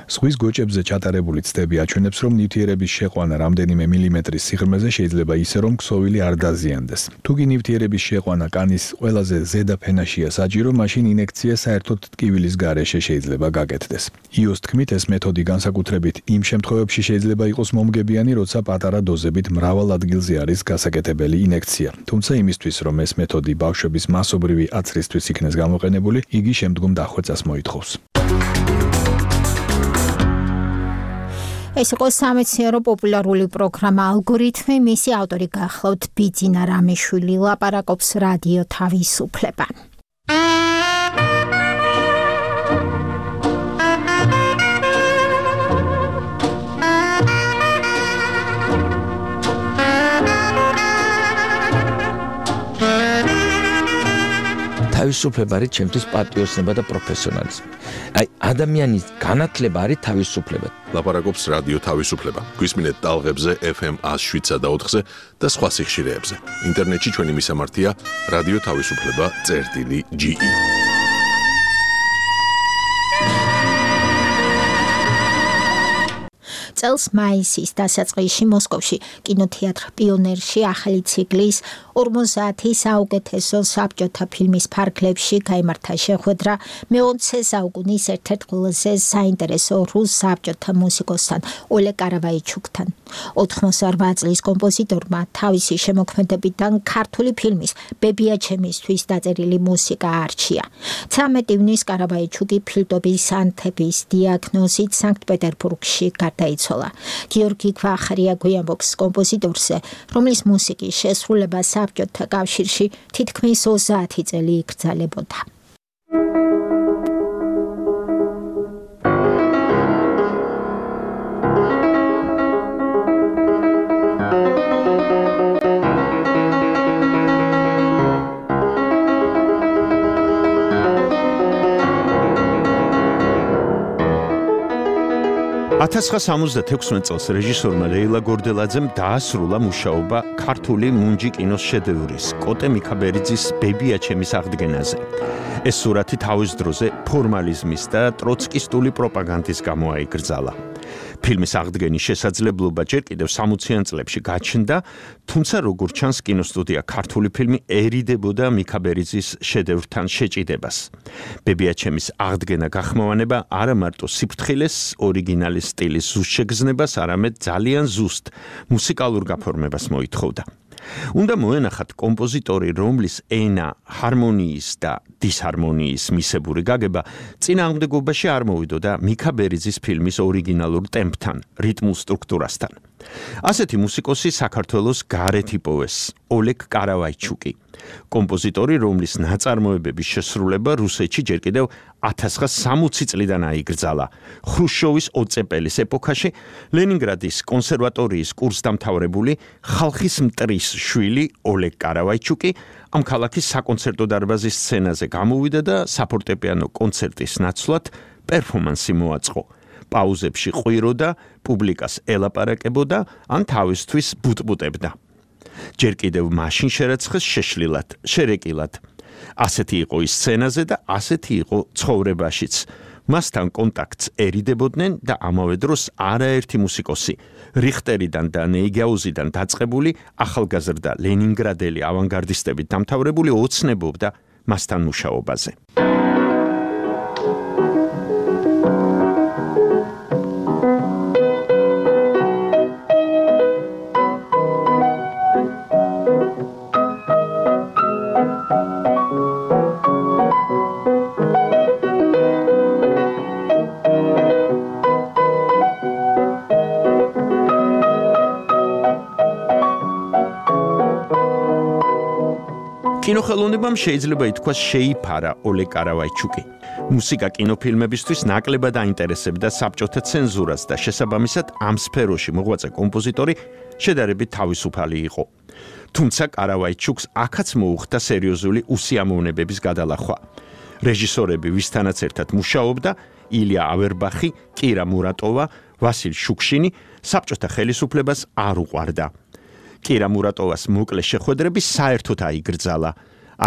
ზღვის გოჭებზე ჩატარებული ცდები აჩვენებს, რომ ნივთიერების შეყვანა რამდენიმე მილიმეტრის სიღრმეზე შეიძლება ისე, რომ ქსოვილი არ დაზიანდეს. თუ კი ნივთიერების შეყვანა კანის ყველაზე ზედა ფენაშია საჭირო, მაშინ ინექცია საერთოდ ტკივილის გარეშე შეიძლება გაკეთდეს. იოს თქმით, ეს მეთოდი განსაკუთრებით იმ შემთხვევებში შეიძლება იყოს მომგებიანი, როცა პატარა დოზებით მრავალ ადგილზე არის გასაკეთებელი ინექცია. თუმცა იმისთვის, რომ ეს მეთოდი ბავშვების მასობრივი აცრისთვის იქნეს გამოყენებული, იგი შემდგომ დახვეწას მოითხოვს. ეს იყო სამეცნიერო პოპულარული პროგრამა ალგორითმი, მისი ავტორი გახლავთ ბიძინა რამიშვილი, ლაპარაკობს რადიო თავისუფლება. თავისუფლება არის ჩემთვის პატრიოტიზმი და პროფესიონალიზმი. აი, ადამიანის განათლება არის თავისუფლება. ლაპარაკობს რადიო თავისუფლება. გვისმინეთ ტალღებზე FM 107.4-ზე და სხვა სიხშირეებზე. ინტერნეტში ჩვენი მისამართია რადიო თავისუფლება.ge. წელს მაისის დასაწყისში მოსკოვში კინოთეატრ პიონერში ახალი ციკლის 50 საუკეთესო საბჭოთა ფილმის ფარგლებში გაიმართა შეხვედრა მე-20 საუკუნის ერთ-ერთ ყველაზე საინტერესო რუს საბჭოთა მუსიკოსთან ოლეგ კარავაიჩუკთან. 88 წლის კომპოზიტორმა თავისი შემოქმედებიდან ქართული ფილმის ბებიაჩემისთვის დაწერილი მუსიკა არჩია. 13 ივნის კარავაიჩუკი ფილტობის ანთების დიაგნოზით სანქტ-პეტერბურგში გარდაიცვალა. გიორგი ქვახარია გვიამბობს კომპოზიტორზე, რომლის მუსიკის შესრულება საბჭოთა კავშირში თითქმის 30 წელი იკრძალებოდა. წელს რეჟისორმა ლეილა გორდელაძემ დაასრულა მუშაობა ქართული მუნჯი კინოს შედევრის კოტე მიქაბერიძის ბებიაჩემის აღდგენაზე. ეს სურათი თავის დროზე ფორმალიზმის და ტროცკისტული პროპაგანდის გამო აიკრძალა. ფილმის აღდგენის შესაძლებლობა ჯერ კიდევ 60-იან წლებში გაჩნდა, თუმცა როგორც ჩანს კინოსტუდია ქართული ფილმი ერიდებოდა მიქაბერიძის შედევრთან შეჭიდებას. ბებიაჩემის აღდგენა გახმოვანება არა მარტო სიფრთხილეს, ორიგინალის სტილის ზუსტ შეგრძნებას, არამედ ძალიან ზუსტ მუსიკალურ გაფორმებას მოითხოვდა. უნდა მოენახათ კომპოზიტორი, რომლის ენა ჰარმონიის და დისჰარმონიის მისებური გაგება წინააღმდეგობაში არ მოვიდოდა მიქაბერიძის ფილმის ორიგინალურ ტემპთან, რიტმულ სტრუქტურასთან. ასეთი მუსიკოსი საქართველოს გარეთ იპოვეს ოლეგ კარავაიჩუკი, კომპოზიტორი, რომლის ნაწარმოებების შესრულება რუსეთში ჯერ კიდევ 1960 წლიდან აიკრძალა. ხრუშჩოვის ოწეპელის ეპოქაში ლენინგრადის კონსერვატორიის კურსდამთავრებული ხალხის მტრის შვილი ოლეგ კარავაიჩუკი ამ ქალაქის საკონცერტო დარბაზის სცენაზე გამოვიდა და საფორტეპიანო კონცერტის ნაცვლად პერფორმანსი მოაწყო. პაუზებში ყვიროდა, პუბლიკას ელაპარაკებოდა, ან თავისთვის ბუტბუტებდა. ჯერ კიდევ მაშინ შერაცხეს შეშლილად, შერეკილად. ასეთი იყო ის სცენაზე და ასეთი იყო ცხოვრებაშიც. მასთან კონტაქტს ერიდებოდნენ და ამავე დროს არაერთი მუსიკოსი, რიხტერიდან და ნეიგაუზიდან დაწყებული ახალგაზრდა ლენინგრადელი ავანგარდისტებით დამთავრებული ოცნებობდა მასთან მუშაობაზე. კინოხელოვნებამ შეიძლება ითქვას შეიფარა ოლეგ კარავაიჩუკი. მუსიკა კინოფილმებისთვის ნაკლებად აინტერესებდა საბჭოთა ცენზურას და შესაბამისად ამ სფეროში მოღვაწე კომპოზიტორი შედარებით თავისუფალი იყო. თუმცა კარავაიჩუკს აქაც მოუხდა სერიოზული უსიამოვნებების გადალახვა. რეჟისორები, ვისთანაც ერთად მუშაობდა, ილია ავერბახი, კირა მურატოვა, ვასილ შუქშინი საბჭოთა ხელისუფლებას არ უყვარდა. კირა მურატოვას მოკლე შეხვედრები საერთოდ აიგრძალა.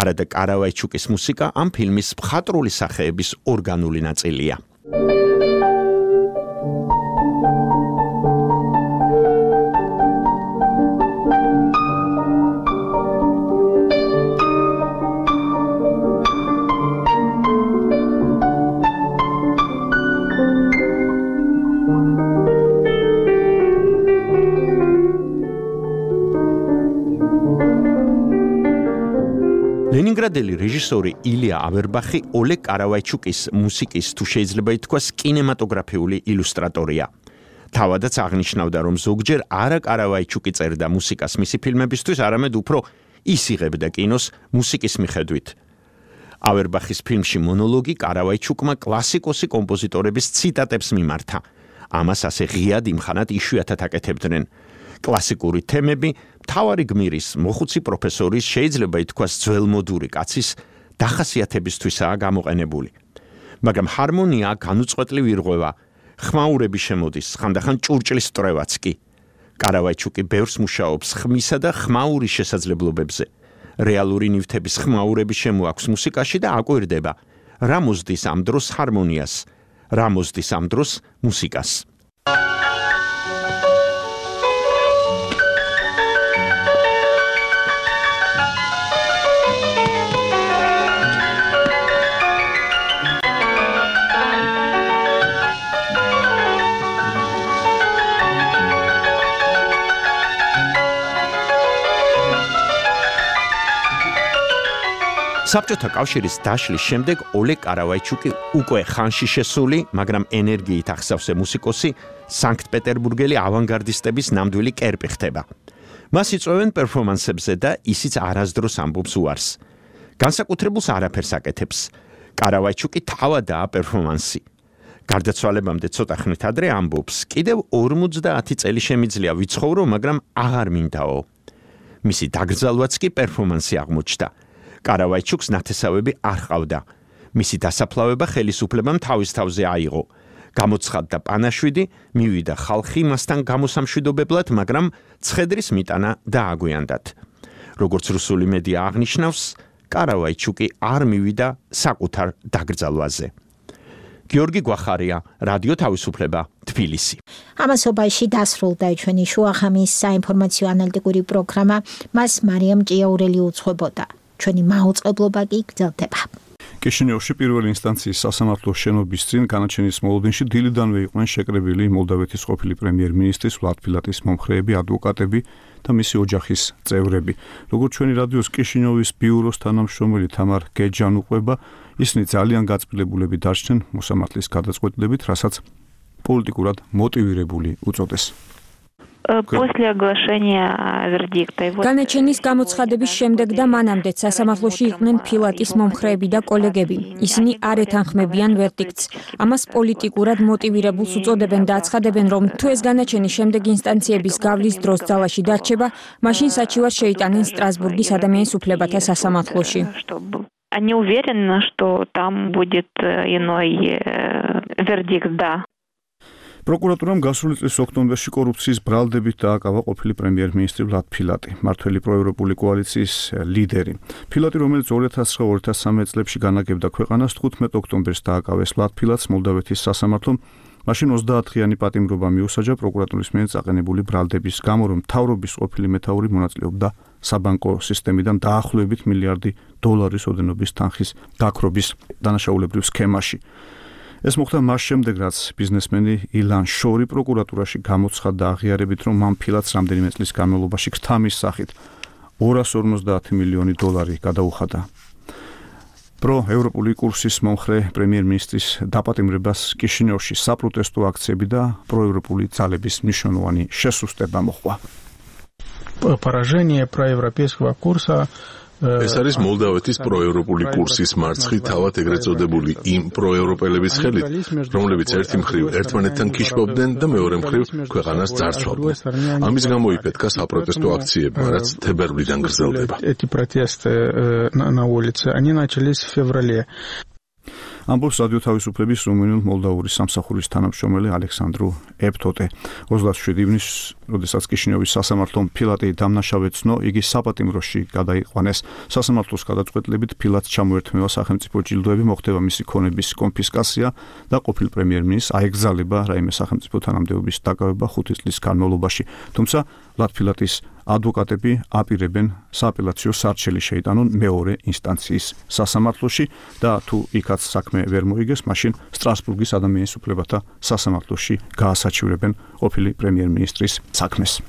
არადა კარავაიჩუკის მუსიკა ამ ფილმის მხატვრული სახეების ორგანული ნაწილია. ლენინგრადელი რეჟისორი ილია ავერბახი ოლეგ კარავაიჩუკის მუსიკის თუ შეიძლება ითქვას კინემატოგრაფიული ილუსტრატორია. თავადაც აღნიშნავდა, რომ ზოგჯერ არა კარავაიჩუკი წერდა მუსიკას მისი ფილმებისთვის, არამედ უფრო ის იღებდა კინოს მუსიკის მიხედვით. ავერბახის ფილმში მონოლოგი კარავაიჩუკმა კლასიკოსი კომპოზიტორების ციტატებს მიმართა. ამას ასე ღიად იმხანად იშვიათად აკეთებდნენ. კლასიკური თემები მთავარი გმირის, მოხუცი პროფესორის, შეიძლება ითქვას ძველმოდური კაცის დახასიათებისთვისაა გამოყენებული. მაგრამ ჰარმონია განუწყვეტლივ ირღვევა, ხმაურები შემოდის, ხანდახან ჭურჭლის სწრევაც კი. კარავაიჩუკი ბევრს მუშაობს ხმისა და ხმაურის შესაძლებლობებზე. რეალური ნივთების ხმაურები შემოაქვს მუსიკაში და აკვირდება, რა მოსდის ამ დროს ჰარმონიას, რა მოსდის ამ დროს მუსიკას. საბჭოთა კავშირის დაშლის შემდეგ ოლეგ კარავაიჩუკი უკვე ხანში შესული, მაგრამ ენერგიით ახსავსე მუსიკოსი სანქტ-პეტერბურგელი ავანგარდისტების ნამდვილი კერპი ხდება. მას იწვევენ პერფორმანსებზე და ისიც არასდროს ამბობს უარს. განსაკუთრებულს არაფერს აკეთებს. კარავაიჩუკი თავადაა პერფორმანსი. გარდაცვალებამდე ცოტა ხნით ადრე ამბობს, კიდევ 50 წელი შემიძლია ვიცხოვრო, მაგრამ აღარ მინდაო. მისი დაკრძალვაც კი პერფორმანსი აღმოჩნდა. კარავაიჩუკს ნათესავები არ ჰყავდა. მისი დასაფლავება ხელისუფლებამ თავის თავზე აიღო. გამოცხადდა პანაშვიდი, მივიდა ხალხი მასთან გამოსამშვიდობებლად, მაგრამ ცხედრის მიტანა დააგვიანდათ. როგორც რუსული მედია აღნიშნავს, კარავაიჩუკი არ მივიდა საკუთარ დაკრძალვაზე. გიორგი გვახარია, რადიო თავისუფლება, თბილისი. ამასობაში დასრულდა ჩვენი შუახამის საინფორმაციო ანალიტიკური პროგრამა, მას მარიამ ჭიაურელი უძღვებოდა. ჩვენი მაუწყებლობა კი გრძელდება. კიშინიოვში პირველი ინსტანციის სასამართლო შენობის წინ განაჩენის მოლოდინში დილიდანვე იყვნენ შეკრებილი მოლდავეთის ყოფილი პრემიერ-მინისტრის ვლად ფილატის მომხრეები, ადვოკატები და მისი ოჯახის წევრები. როგორც ჩვენი რადიოს კიშინიოვის ბიუროს თანამშრომელი თამარ გეჯან უყვება, ისინი ძალიან გაწმილებულები დარჩნენ მოსამართლის გადაწყვეტილებით, რასაც პოლიტიკურად მოტივირებული უწოდეს. После оглашения вердикта. განაჩენის გამოცხადების შემდეგ და მანამდეც სასამართლოში იყვნენ ფილატის მომხრეები და კოლეგები. ისინი არ ეთანხმებიან ვერდიქტს. ამას პოლიტიკურად მოტივირებულს უწოდებენ და აცხადებენ, რომ თუ ეს განაჩენი შემდეგ ინსტანციების გავლის დროს ძალაში დარჩება, მაშინ საჩივარს შეიტანენ სტრასბურგის ადამიანის უფლებათა სასამართლოში. Они уверены, что там будет иной вердикт, да. პროკურატურამ გასული წლის ოქტომბერში კორუფციის ბრალდებით დააკავა ყოფილი პრემიერ-მინისტრი ვლად ფილატი, მართველი პროევროპული კოალიციის ლიდერი. ფილატი, რომელიც 2009-2013 წლებში განაგებდა ქვეყანას, 15 ოქტომბერს დააკავეს ვლად ფილატს მოლდავეთის სასამართლომ. მაშინ 30-დღიანი პატიმრობა მიუსაჯა პროკურატურის მიერ წაყენებული ბრალდების გამო, რომ მთავრობის ყოფილი მეთაური მონაწილეობდა საბანკო სისტემიდან დაახლოებით $1 მილიარდი ოდენობის თანხის გაქრობის დანაშაულებრივ სქემაში. ეს მოხდა მას შემდეგ, რაც ბიზნესმენი ილან შორი პროკურატურაში გამოცხადდა აღიარებით, რომ მან ფილატს რამდენიმე წლის განმავლობაში ქთამის სახით $250 მილიონი გადაუხადა. პროევროპული კურსის მომხრე პრემიერ-მინისტრის დაპატიმრებას კიშინიოვში საპროტესტო აქციები და პროევროპული ძალების მნიშვნელოვანი შესუსტება მოჰყვა. Поражение проевропейского курса ეს არის მოლდავეთის პროევროპული კურსის მარცხი თავად ეგრეთ წოდებული იმ პროევროპელების ხელით, რომლებიც ერთი მხრივ ერთმანეთთან ქიშბობდნენ და მეორე მხრივ ქვეყანას ძარცვავდნენ. ამის გამო იფეთქა საპროტესტო აქციებმა, რაც თებერვლიდან გრძელდება. Эти протесты на улице, они начались в феврале. ამბობს რადიო თავისუფლების რუმინულ-მოლდავური სამსახურის თანამშრომელი ალექსანდრუ ეფტოტე. 27 ივნისს, როდესაც კიშინიოვის სასამართლომ ფილატი დამნაშავედ ცნო, იგი საპატიმროში გადაიყვანეს. სასამართლოს გადაწყვეტილებით ფილატს ჩამოერთმევა სახელმწიფო ჯილდოები, მოხდება მისი ქონების კონფისკაცია და ყოფილ პრემიერ-მინისტრს აეგზალება რაიმე სახელმწიფო თანამდებობის დაკავება 5 წლის განმავლობაში. თუმცა ვლად ფილატის ადვოკატები აპირებენ სააპელაციო სარჩელი შეიტანონ მეორე ინსტანციის სასამართლოში და თუ იქაც საქმე ვერ მოიგეს, მაშინ სტრასბურგის ადამიანის უფლებათა სასამართლოში გაასაჩივრებენ ყოფილი პრემიერ-მინისტრის საქმეს.